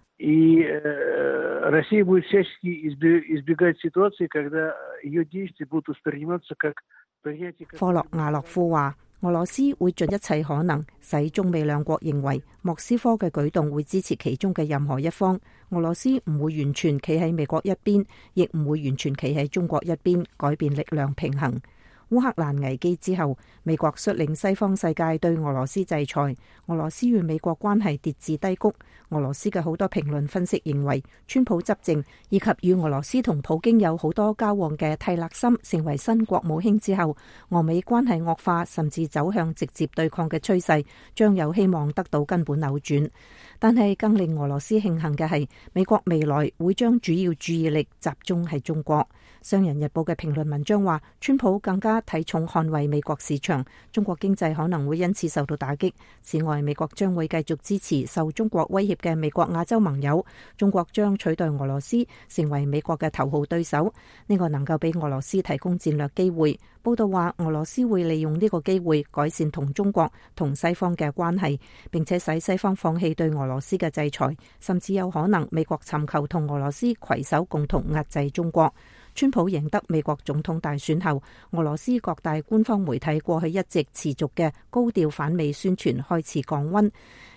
科洛亞洛夫話，俄羅斯會盡一切可能使中美兩國認為莫斯科嘅舉動會支持其中嘅任何一方。俄羅斯唔會完全企喺美國一邊，亦唔會完全企喺中國一邊，改變力量平衡。烏克蘭危機之後，美國率領西方世界對俄羅斯制裁，俄羅斯與美國關係跌至低谷。俄羅斯嘅好多評論分析認為，川普執政以及與俄羅斯同普京有好多交往嘅蒂勒森成為新國務卿之後，俄美關係惡化甚至走向直接對抗嘅趨勢，將有希望得到根本扭轉。但係更令俄羅斯慶幸嘅係，美國未來會將主要注意力集中喺中國。商人日報嘅評論文章話，川普更加家睇重捍衛美國市場，中國經濟可能會因此受到打擊。此外，美國將會繼續支持受中國威脅嘅美國亞洲盟友，中國將取代俄羅斯成為美國嘅頭號對手，呢個能夠俾俄羅斯提供戰略機會。報道話，俄羅斯會利用呢個機會改善同中國同西方嘅關係，並且使西方放棄對俄羅斯嘅制裁，甚至有可能美國尋求同俄羅斯攜手共同壓制中國。川普贏得美國總統大選後，俄羅斯各大官方媒體過去一直持續嘅高調反美宣傳開始降溫。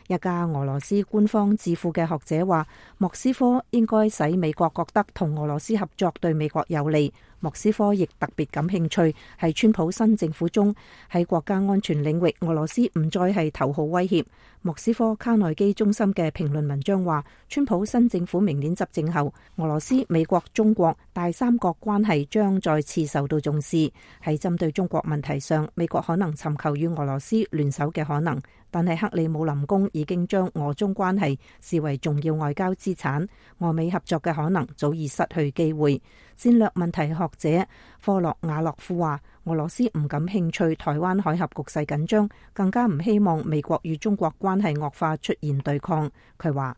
一家俄羅斯官方智庫嘅學者話，莫斯科應該使美國覺得同俄羅斯合作對美國有利。莫斯科亦特別感興趣喺川普新政府中，喺國家安全領域，俄羅斯唔再係頭號威脅。莫斯科卡內基中心嘅評論文章話，川普新政府明年執政後，俄羅斯、美國、中國大三角關係將再次受到重視。喺針對中國問題上，美國可能尋求與俄羅斯聯手嘅可能，但係克里姆林宮已經將俄中關係視為重要外交資產，俄美合作嘅可能早已失去機會。戰略問題學者科洛瓦洛夫話，俄羅斯唔感興趣台灣海峽局勢緊張，更加唔希望美國與中國關係惡化出現對抗。佢話，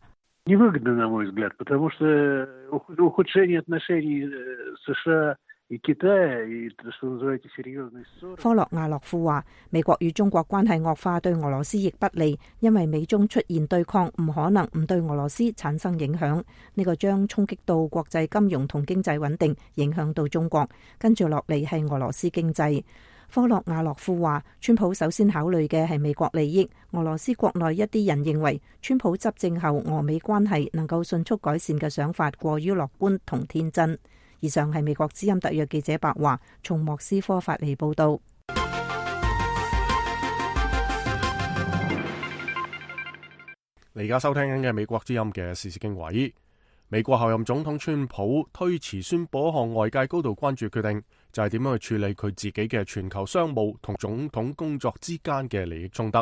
科洛亞洛夫話，美國與中國關係惡化對俄羅斯亦不利，因為美中出現對抗唔可能唔對俄羅斯產生影響，呢個將衝擊到國際金融同經濟穩定，影響到中國，跟住落嚟係俄羅斯經濟。科洛亞洛夫話，川普首先考慮嘅係美國利益，俄羅斯國內一啲人認為川普執政後俄美關係能夠迅速改善嘅想法過於樂觀同天真。以上係美國之音特約記者白華從莫斯科發嚟報道。你而家收聽緊嘅美國之音嘅時事經緯。美國候任總統川普推遲宣佈一項外界高度關注決定，就係點樣去處理佢自己嘅全球商務同總統工作之間嘅利益衝突。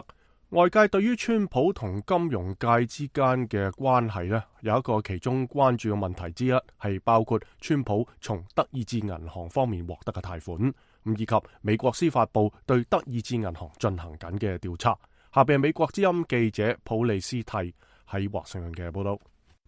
外界對於川普同金融界之間嘅關係呢，有一個其中關注嘅問題之一，係包括川普從德意志銀行方面獲得嘅貸款，以及美國司法部對德意志銀行進行緊嘅調查。下邊係美國之音記者普利斯蒂喺華盛頓嘅報道。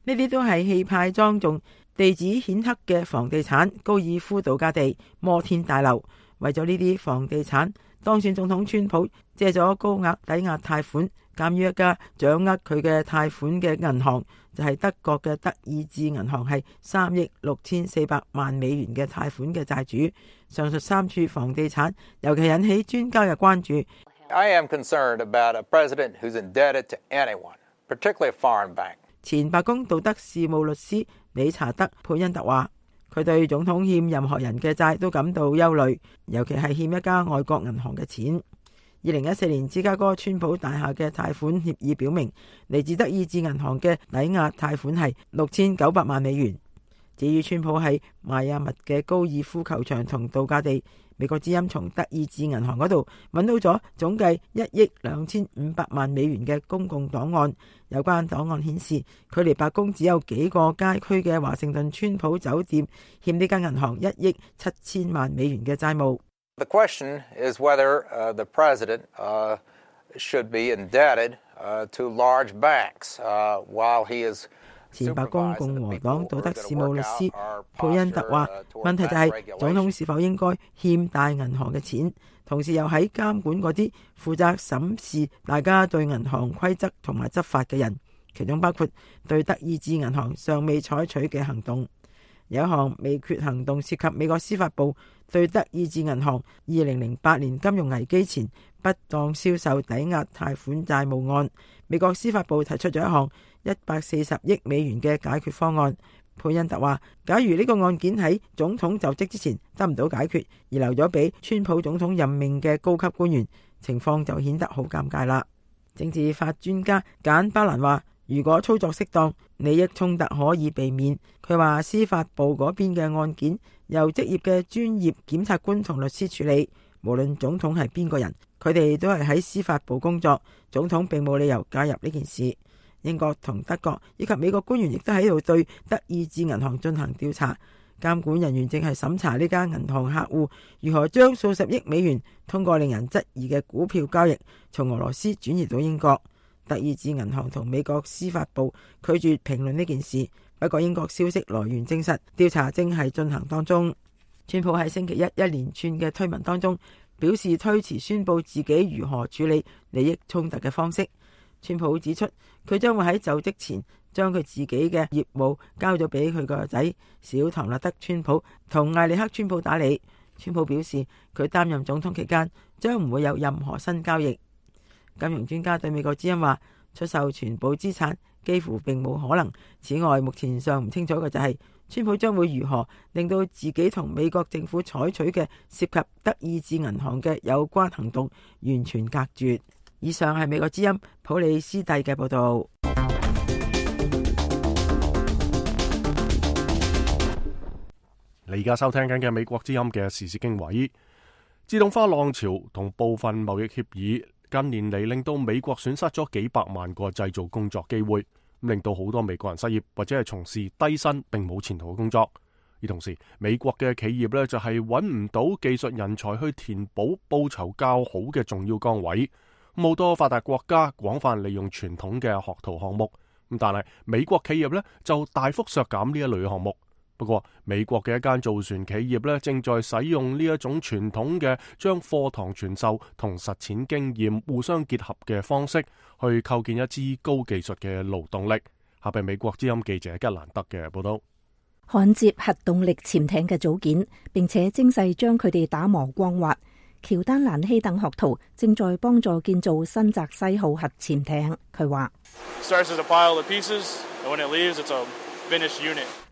呢啲都係氣派莊重、地址顯赫嘅房地產高爾夫度假地摩天大樓。為咗呢啲房地產，當選總統川普借咗高額抵押貸款，鑑於一家掌握佢嘅貸款嘅銀行就係德國嘅德意志銀行，係3億6400萬美元嘅貸款嘅債主。上述3處房地產尤其引起專家嘅關注。I am concerned about a president who's indebted to anyone, particularly a foreign bank. 前白宮道德事務律師理查德·佩恩特話，佢對總統欠任何人嘅債都感到憂慮，尤其係欠一家外國銀行嘅錢。2014年芝加哥川普大廈嘅貸款協議表明，嚟自德意志銀行嘅抵押貸款係6900萬美元。至於川普喺邁阿密嘅高爾夫球場同度假地，美國之音從德意志銀行嗰度揾到咗總計1億2500萬美元嘅公共檔案。有關檔案顯示，距離白宮只有幾個街區嘅華盛頓川普酒店欠呢間銀行1億7000萬美元嘅債務。The question is whether the president should be indebted to large banks while he is。前白宮共和黨道德事務律師佩恩特話，問題就係總統是否應該欠大銀行嘅錢，同時又喺監管嗰啲負責審視大家對銀行規則同埋執法嘅人，其中包括對德意志銀行尚未採取嘅行動。有一項未決行動涉及美國司法部對德意志銀行2008年金融危機前不當銷售抵押貸款債務案。美國司法部提出咗一項140億美元嘅解決方案。佩恩特話，假如呢個案件喺總統就職之前得唔到解決，而留咗俾川普總統任命嘅高級官員，情況就顯得好尷尬啦。政治法專家簡巴蘭話，如果操作適當，利益衝突可以避免。佢話司法部嗰邊嘅案件由職業嘅專業檢察官同律師處理，無論總統係邊個人，佢哋都係喺司法部工作，總統並冇理由介入呢件事。英國同德國以及美國官員亦都喺度對德意志銀行進行調查。監管人員正係審查呢間銀行客戶如何將數十億美元通過令人質疑嘅股票交易從俄羅斯轉移到英國。德意志銀行同美國司法部拒絕評論呢件事，不過英國消息來源證實調查正係進行當中。川普喺星期一連串嘅推文當中表示推遲宣布自己如何處理利益衝突嘅方式。川普指出佢將會喺就職前將佢自己嘅業務交咗俾佢個仔小唐納德川普同艾利克川普打理。川普表示佢擔任總統期間將唔會有任何新交易。金融專家對美國之音話，出售全部資產幾乎並冇可能。此外，目前尚唔清楚嘅就係川普將會如何令到自己同美國政府採取嘅涉及德意志銀行嘅有關行動完全隔絕。以上係美國之音普里斯蒂嘅報道。你而家收聽緊嘅美國之音嘅時事經緯，自動化浪潮同部分貿易協議近年嚟令到美國損失咗幾百萬個製造工作機會，令到好多美國人失業或者係從事低薪並冇前途嘅工作。而同時，美國嘅企業呢就係揾唔到技術人才去填補報酬較好嘅重要崗位。好多發達國家廣泛利用傳統嘅學徒項目，但係美國企業呢就大幅削減呢一類項目。不過，美國嘅一間造船企業呢正在使用呢一種傳統嘅將課堂傳授同實踐經驗互相結合嘅方式，去構建一支高技術嘅勞動力。下邊美國之音記者吉蘭德嘅報道。焊接核動力潛艇嘅組件，並且精細將佢哋打磨光滑。喬丹蘭希等學徒正在幫助建造新澤西號核潛艇。佢話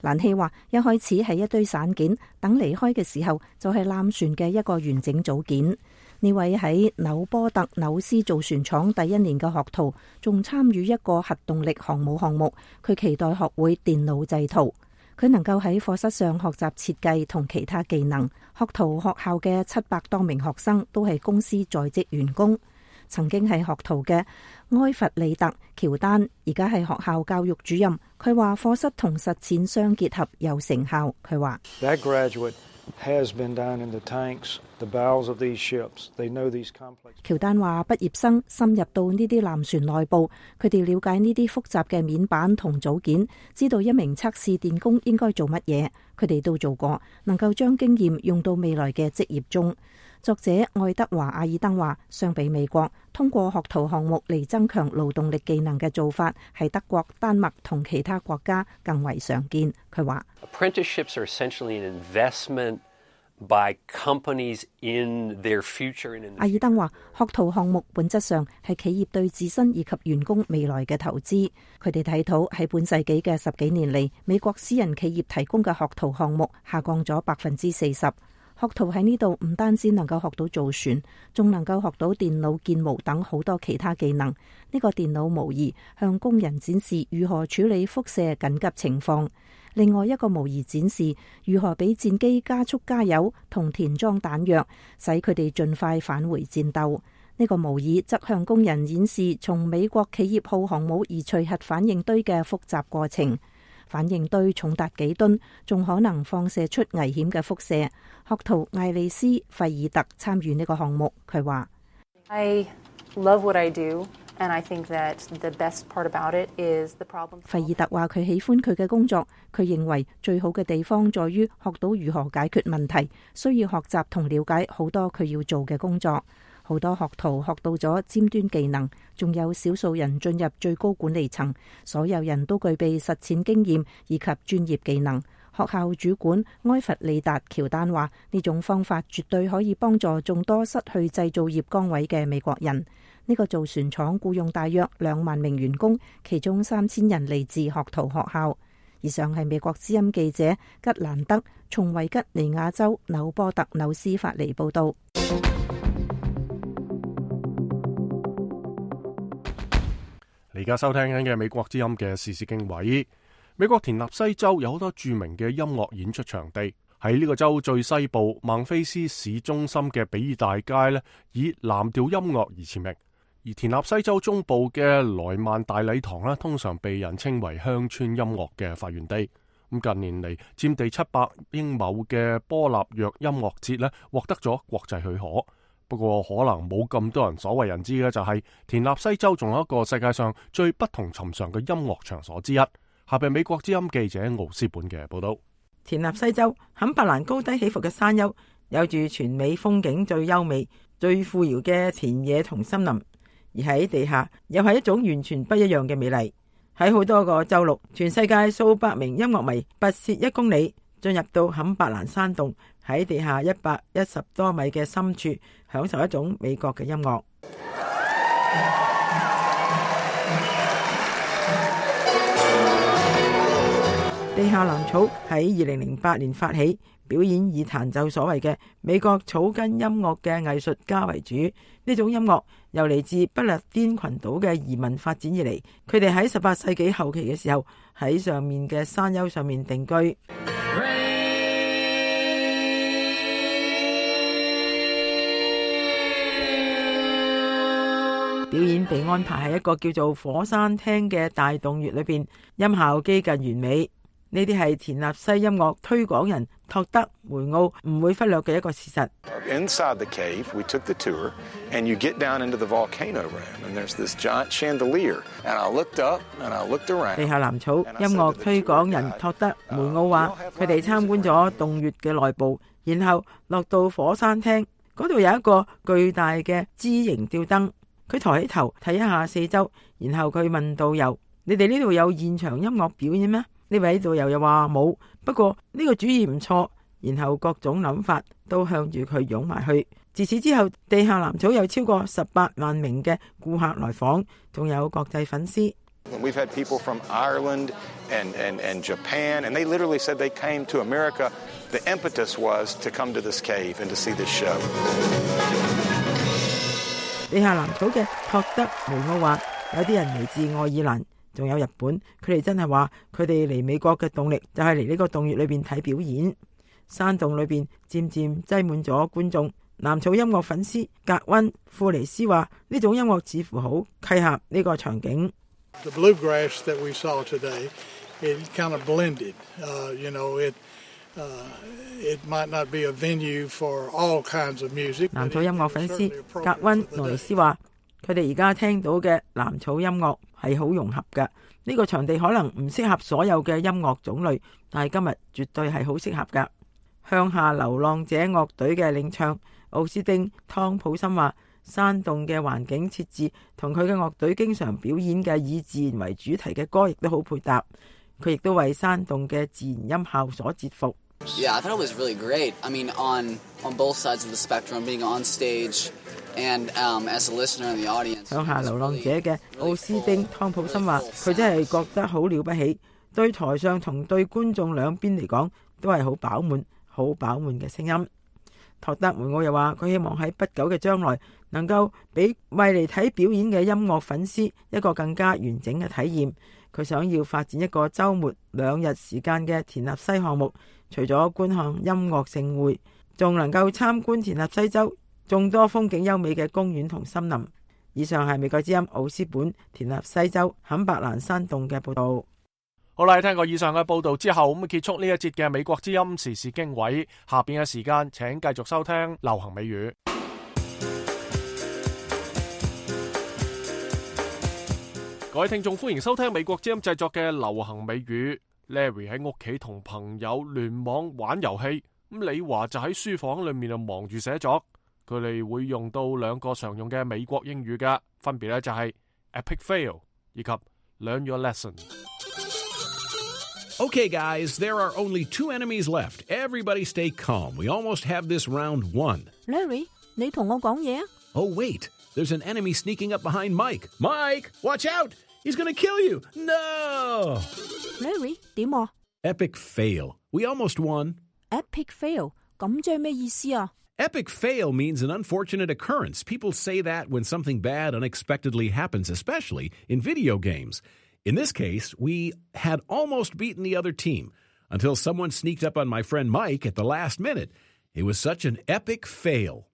蘭希話一開始係一堆散件，等離開嘅時候就係艦船嘅一個完整組件。呢位喺紐波特紐斯造船廠第一年嘅學徒仲參與一個核動力航母項目，佢期待學會電腦製圖。佢能夠喺課室上學習設計同其他技能。學徒學校嘅700多名學生都係公司在職員工。曾經係學徒嘅埃弗里特喬丹，而家係學校教育主任。佢話課室同實踐相結合有成效。佢話喬丹話畢業生深入到呢啲艦船內部，佢哋了解呢啲複雜嘅面板同組件，知道一名測試電工應該做乜嘢。佢哋都做過，能夠將經驗用到未來嘅職業中。作者愛德華阿爾登話，相比美國通過學徒項目嚟增強勞動力技能嘅做法，係德國、丹麥同其他國家更為常見。佢話Apprenticeships are essentially an investment by companies in their future. 阿爾登話，學徒項目本質上係企業對自身以及員工未來嘅投資。佢哋睇到喺本世紀嘅10幾年嚟，美國私人企業提供嘅學徒項目下降咗40%。學徒喺呢度唔單止能夠學到造船，仲能夠學到電腦建模等好多其他技能。呢個電腦模擬向工人展示如何處理輻射緊急情況，另外一個模擬展示如何俾戰機加速加油同填裝彈藥，使佢哋盡快返回戰鬥。呢個模擬則向工人演示從美國企業號航母移除核反應堆嘅複雜過程。反應堆重達幾噸，仲可能放射出危險嘅輻射。學徒艾利斯費爾特參與呢個項目，佢話：I love what I do, and I think that the best part about it is the problem. 費爾特話佢喜歡佢嘅工作，佢認為最好嘅地方在於學到如何解決問題，需要學習同了解好多佢要做嘅工作。好多學徒學到咗尖端技能，仲有少數人進入最高管理層，所有人都具備實踐經驗以及專業技能。學校主管埃弗里達喬丹話：呢種方法絕對可以幫助眾多失去製造業崗位嘅美國人。呢個造船廠僱用大約2萬名員工，其中3000人嚟自學徒學校。以上係美國之音記者吉蘭德從維吉尼亞州紐波特紐斯發嚟報道。而家收聽緊嘅美國之音嘅時事經緯，美國田納西州有好多著名嘅音樂演出場地。喺呢個州最西部孟菲斯市中心嘅比爾大街呢，以藍調音樂而馳名。而田納西州中部嘅萊曼大禮堂呢，通常被人稱為鄉村音樂嘅發源地。咁近年嚟佔地700英畝嘅波納約音樂節咧，獲得咗國際許可。不過可能冇咁多人所為人知嘅就係田納西州仲有一個世界上最不同尋常嘅音樂場所之一。下邊美國之音記者奧斯本嘅報道。田納西州坎伯蘭高低起伏嘅山丘，有住全美風景最優美、最富饒嘅田野同森林，而喺地下又係一種完全不一樣嘅美麗。喺好多個週六，全世界數百名音樂迷跋涉1公里，進入到坎伯蘭山洞，喺地下110多米嘅深處，享受一種美國嘅音樂。地下藍草喺2008年發起，表演以彈奏所謂嘅美國草根音樂嘅藝術家為主。呢種音樂由嚟自不列顛群島嘅移民發展而嚟，佢哋喺18世紀後期嘅時候喺上面嘅山丘上面定居。表演被安排喺一個叫做火山廳嘅大洞穴裏邊，音效幾近完美。呢啲係田納西音樂推廣人托德梅奧唔會忽略嘅一個事實。Inside the cave, we took the tour, and you get down into the volcano room, and there's this giant chandelier. And I looked up, and I looked around. 地下藍草音樂推廣人托德梅奧話，佢哋參觀咗洞穴嘅內部，然後落到火山廳，嗰度有一個巨大嘅枝形吊燈。佢抬起頭睇一下四周，然後佢問導遊：你哋呢度有現場音樂表演咩？呢位導遊又話冇，不過呢個主意唔錯。然後各種諗法都向住佢湧埋去。自此之後，地下藍草有超過18萬名嘅顧客來訪，仲有國際粉絲。We've had people from Ireland and Japan, and they literally said they came to America. The impetus was to come to this cave and to see this show. 地下藍草嘅托德梅奧話，有啲人嚟自愛爾蘭，仲有日本，佢哋真係話佢哋嚟美國嘅動力就係嚟呢個洞穴裏邊睇表演。山洞裏邊漸漸擠滿咗觀眾。藍草音樂粉絲格溫庫尼斯話：呢種音樂似乎好契合呢個場景。The bluegrass that we saw today, it kind of blended. It might not be a venue for all kinds of music. 藍草音樂粉絲格溫諾尼斯話：佢哋而家聽到嘅藍草音樂係好融合嘅。呢個場地可能唔適合所有嘅音樂種類，但係今日絕對係好適合㗎。向下流浪者樂隊嘅領唱奧斯丁湯普森話：山洞嘅環境設置同佢嘅樂隊經常表演嘅以自然為主題嘅歌亦都好配搭。佢亦都為山洞嘅自然音效所折服。Yeah, I thought it was really great. I mean, on both sides of the spectrum, being on stage and as a listener in the audience. 向下流浪者嘅奧斯丁湯普森話：佢真係覺得好了不起，對台上同對觀眾兩邊嚟講都係好飽滿嘅聲音。托德梅奧又話：佢希望喺不久嘅將來能夠俾為嚟睇表演嘅音樂粉絲一個更加完整嘅體驗。佢想要發展一個週末2日時間嘅田納西項目，除咗觀看音樂盛會，仲能夠參觀田納西州眾多風景優美嘅公園同森林。以上係美國之音奧斯本田納西州坎伯蘭山洞嘅報導。好啦，聽過以上嘅報導之後，咁結束呢一節嘅美國之音時事經緯。下邊嘅時間請繼續收聽流行美語。各位聽眾，歡迎收聽美國之音製作嘅流行美語。Larry 喺屋企同朋友聯網玩遊戲，咁李華就喺書房裏面忙住寫作。佢哋會用到2個常用嘅美國英語嘅，分別咧就係 epic fail 以及 learn your lesson。Okay, guys, there are only 2 enemies left. Everybody stay calm. We almost have this round won. Larry, 你同我講嘢啊？ Oh, wait. There's an enemy sneaking up behind Mike. Mike, watch out! He's gonna kill you! No! Larry, 點啊？ Epic fail. We almost won. Epic fail? 咁即係咩意思啊？ Epic fail means an unfortunate occurrence. People say that when something bad unexpectedly happens, especially in video games.In this case, we had almost beaten the other team until someone sneaked up on my friend Mike at the last minute. It was such an epic fail.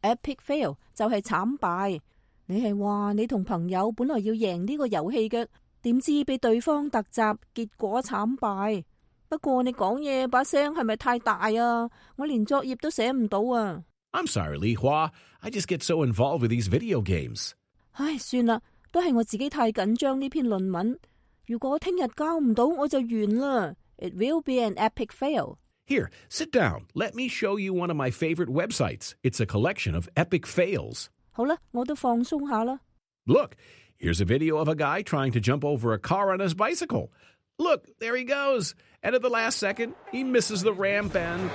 Epic fail 就係慘敗。你係話你同朋友本來要贏呢個遊戲嘅，點知被對方突襲，結果慘敗。不過你講嘢把聲係咪太大啊？我連作業都寫唔到啊。I'm sorry, Li Hua. I just get so involved with these video games. 唉，算啦，都係我自己太緊張呢篇論文。如果聽日交唔到，我就完啦。It will be an epic fail. Here, sit down. Let me show you one of my favorite websites. It's a collection of epic fails. 好啦，我都放鬆下啦。Look, here's a video of a guy trying to jump over a car on his bicycle. Look, there he goes. And at the last second, he misses the ramp and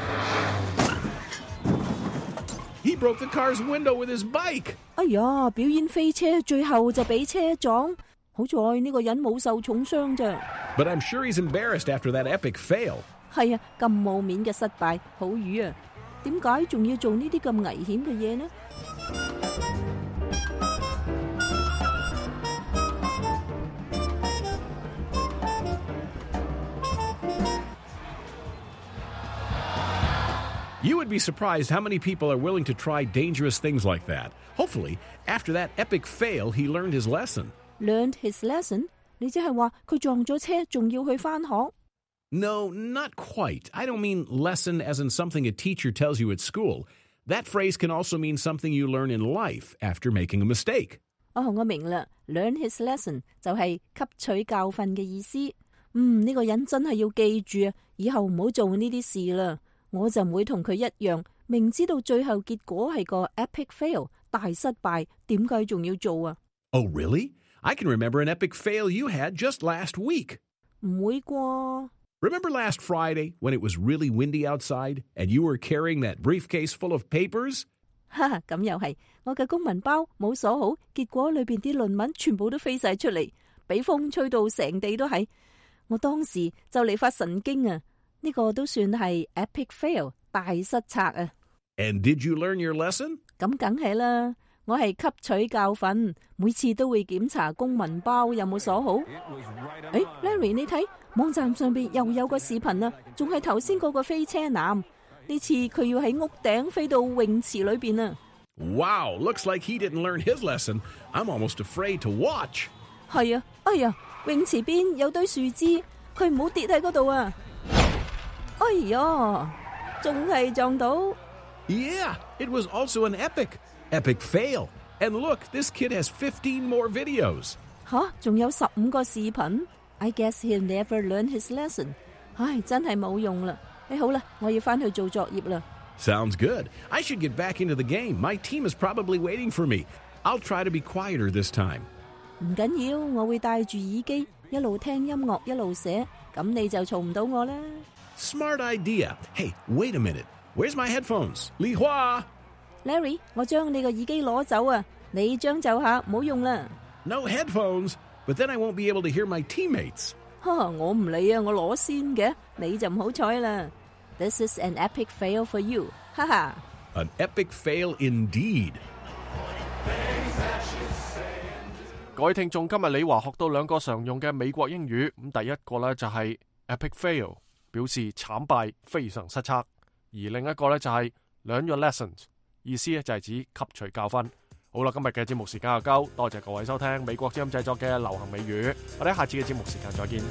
he broke the car's window with his bike. 哎呀，表演飛車，最後就俾車撞。好在呢個人冇受重傷啫。But I'm sure he's embarrassed after that epic fail. 係啊，咁冇面嘅失敗，好瘀啊！點解仲要做呢啲咁危險嘅嘢呢？You would be surprised how many people are willing to try dangerous things like that. Hopefully, after that epic fail, he learned his lesson. Learned his lesson? 你即係話佢撞咗車，仲要去返學？ No, not quite. I don't mean lesson as in something a teacher tells you at school. That phrase can also mean something you learn in life after making a mistake. 哦，我明啦。Learn his lesson 就係吸取教訓嘅意思。呢個人真係要記住啊，以後唔好做呢啲事啦。我就唔會同佢一樣，明知道最後結果係個 epic fail 大失敗，點解仲要做啊？ Oh, really? I can remember an epic fail you had just last week. 唔會啩？ Remember last Friday when it was really windy outside and you were carrying that briefcase full of papers? 哈哈，咁又係，我嘅公文包冇鎖好，結果裏邊啲論文全部都飛晒出嚟，俾風吹到成地都係。我當時就嚟發神經啊！呢個都算係 epic fail 大失策啊！ And did you learn your lesson? 咁梗係啦，我係吸取教訓，每次都會檢查公文包有冇鎖好。Larry 你睇網站上邊又有個視頻啊，仲係頭先嗰個飛車男，呢次佢要喺屋頂飛到泳池裏邊啊！ Wow, looks like he didn't learn his lesson. I'm almost afraid to watch. 係啊，哎呀，泳池邊有堆樹枝，佢唔好跌喺嗰度啊！哎呀，仲係撞到。Yeah, it was also an epic fail. And look, this kid has 15 more videos. 吓，仲有15個視頻。I guess he'll never learn his lesson. 唉，真係冇用啦。好啦，我要返去做作業啦。Sounds good. I should get back into the game. My team is probably waiting for me. I'll try to be quieter this time. 唔緊要，我會戴住耳機，一路聽音樂一路寫，咁你就嘈唔到我啦。Smart idea. Hey, wait a minute. Where's my headphones? Li Hua! Larry, 我將你個耳機攞走啊！你將就下，唔好用啦。No headphones, but then I won't be able to hear my teammates. 我唔理啊，我攞先嘅，你就唔好彩啦。This is an epic fail for you. 哈哈。An epic fail indeed. 各位聽眾，今日李華學到2個常用嘅美國英語，咁第一個呢就係 epic fail， 表示慘敗、非常失策；而另一個呢就係 learn your lessons， 意思呢就係指吸取教訓。好啦，今日嘅節目時間又夠，多謝各位收聽美國之音製作嘅流行美語，我哋下次嘅節目時間再見。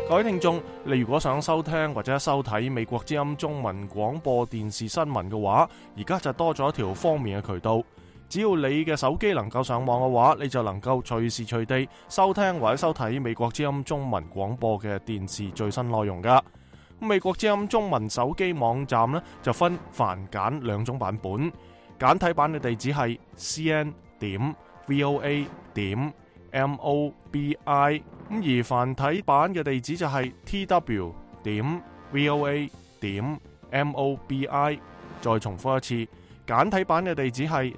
各位聽眾，你如果想收聽或者收睇美國之音中文廣播電視新聞嘅話，而家就多咗一條方便嘅渠道。只要你嘅手機能夠上網嘅話，你就能夠隨時隨地收聽或者收睇美國之音中文廣播嘅電視最新內容噶。美國之音中文手機網站呢，就分繁簡2種版本，簡體版嘅地址係 cn.voa.mobi， 而繁體版嘅地址就係 tw.voa.mobi。 再重複一次，簡體版嘅地址係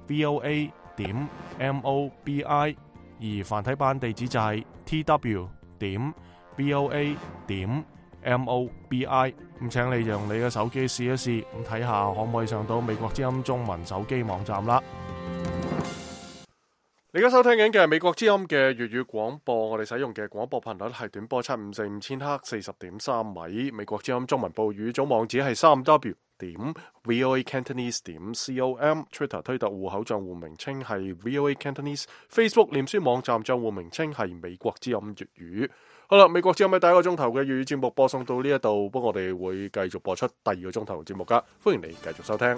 cn.voa.mobi， 而繁體版地址就係 tw.voa.mobi。 咁請你用你嘅手機試一試，咁睇下可唔可以上到美國之音中文手機網站啦。你而家收聽緊嘅係美國之音嘅粵語廣播，我哋使用嘅廣播頻率係短波754千赫40.3米。美國之音中文部語組網址係3w.voacantonese.com，Twitter 推特戶口賬戶名稱係 VOA Cantonese，Facebook 臉書網站賬戶名稱係美國之音粵語。好啦，美國之音嘅第一個鐘頭嘅粵語節目播送到呢一度，不過我哋會繼續播出第二個鐘頭節目噶，歡迎你繼續收聽。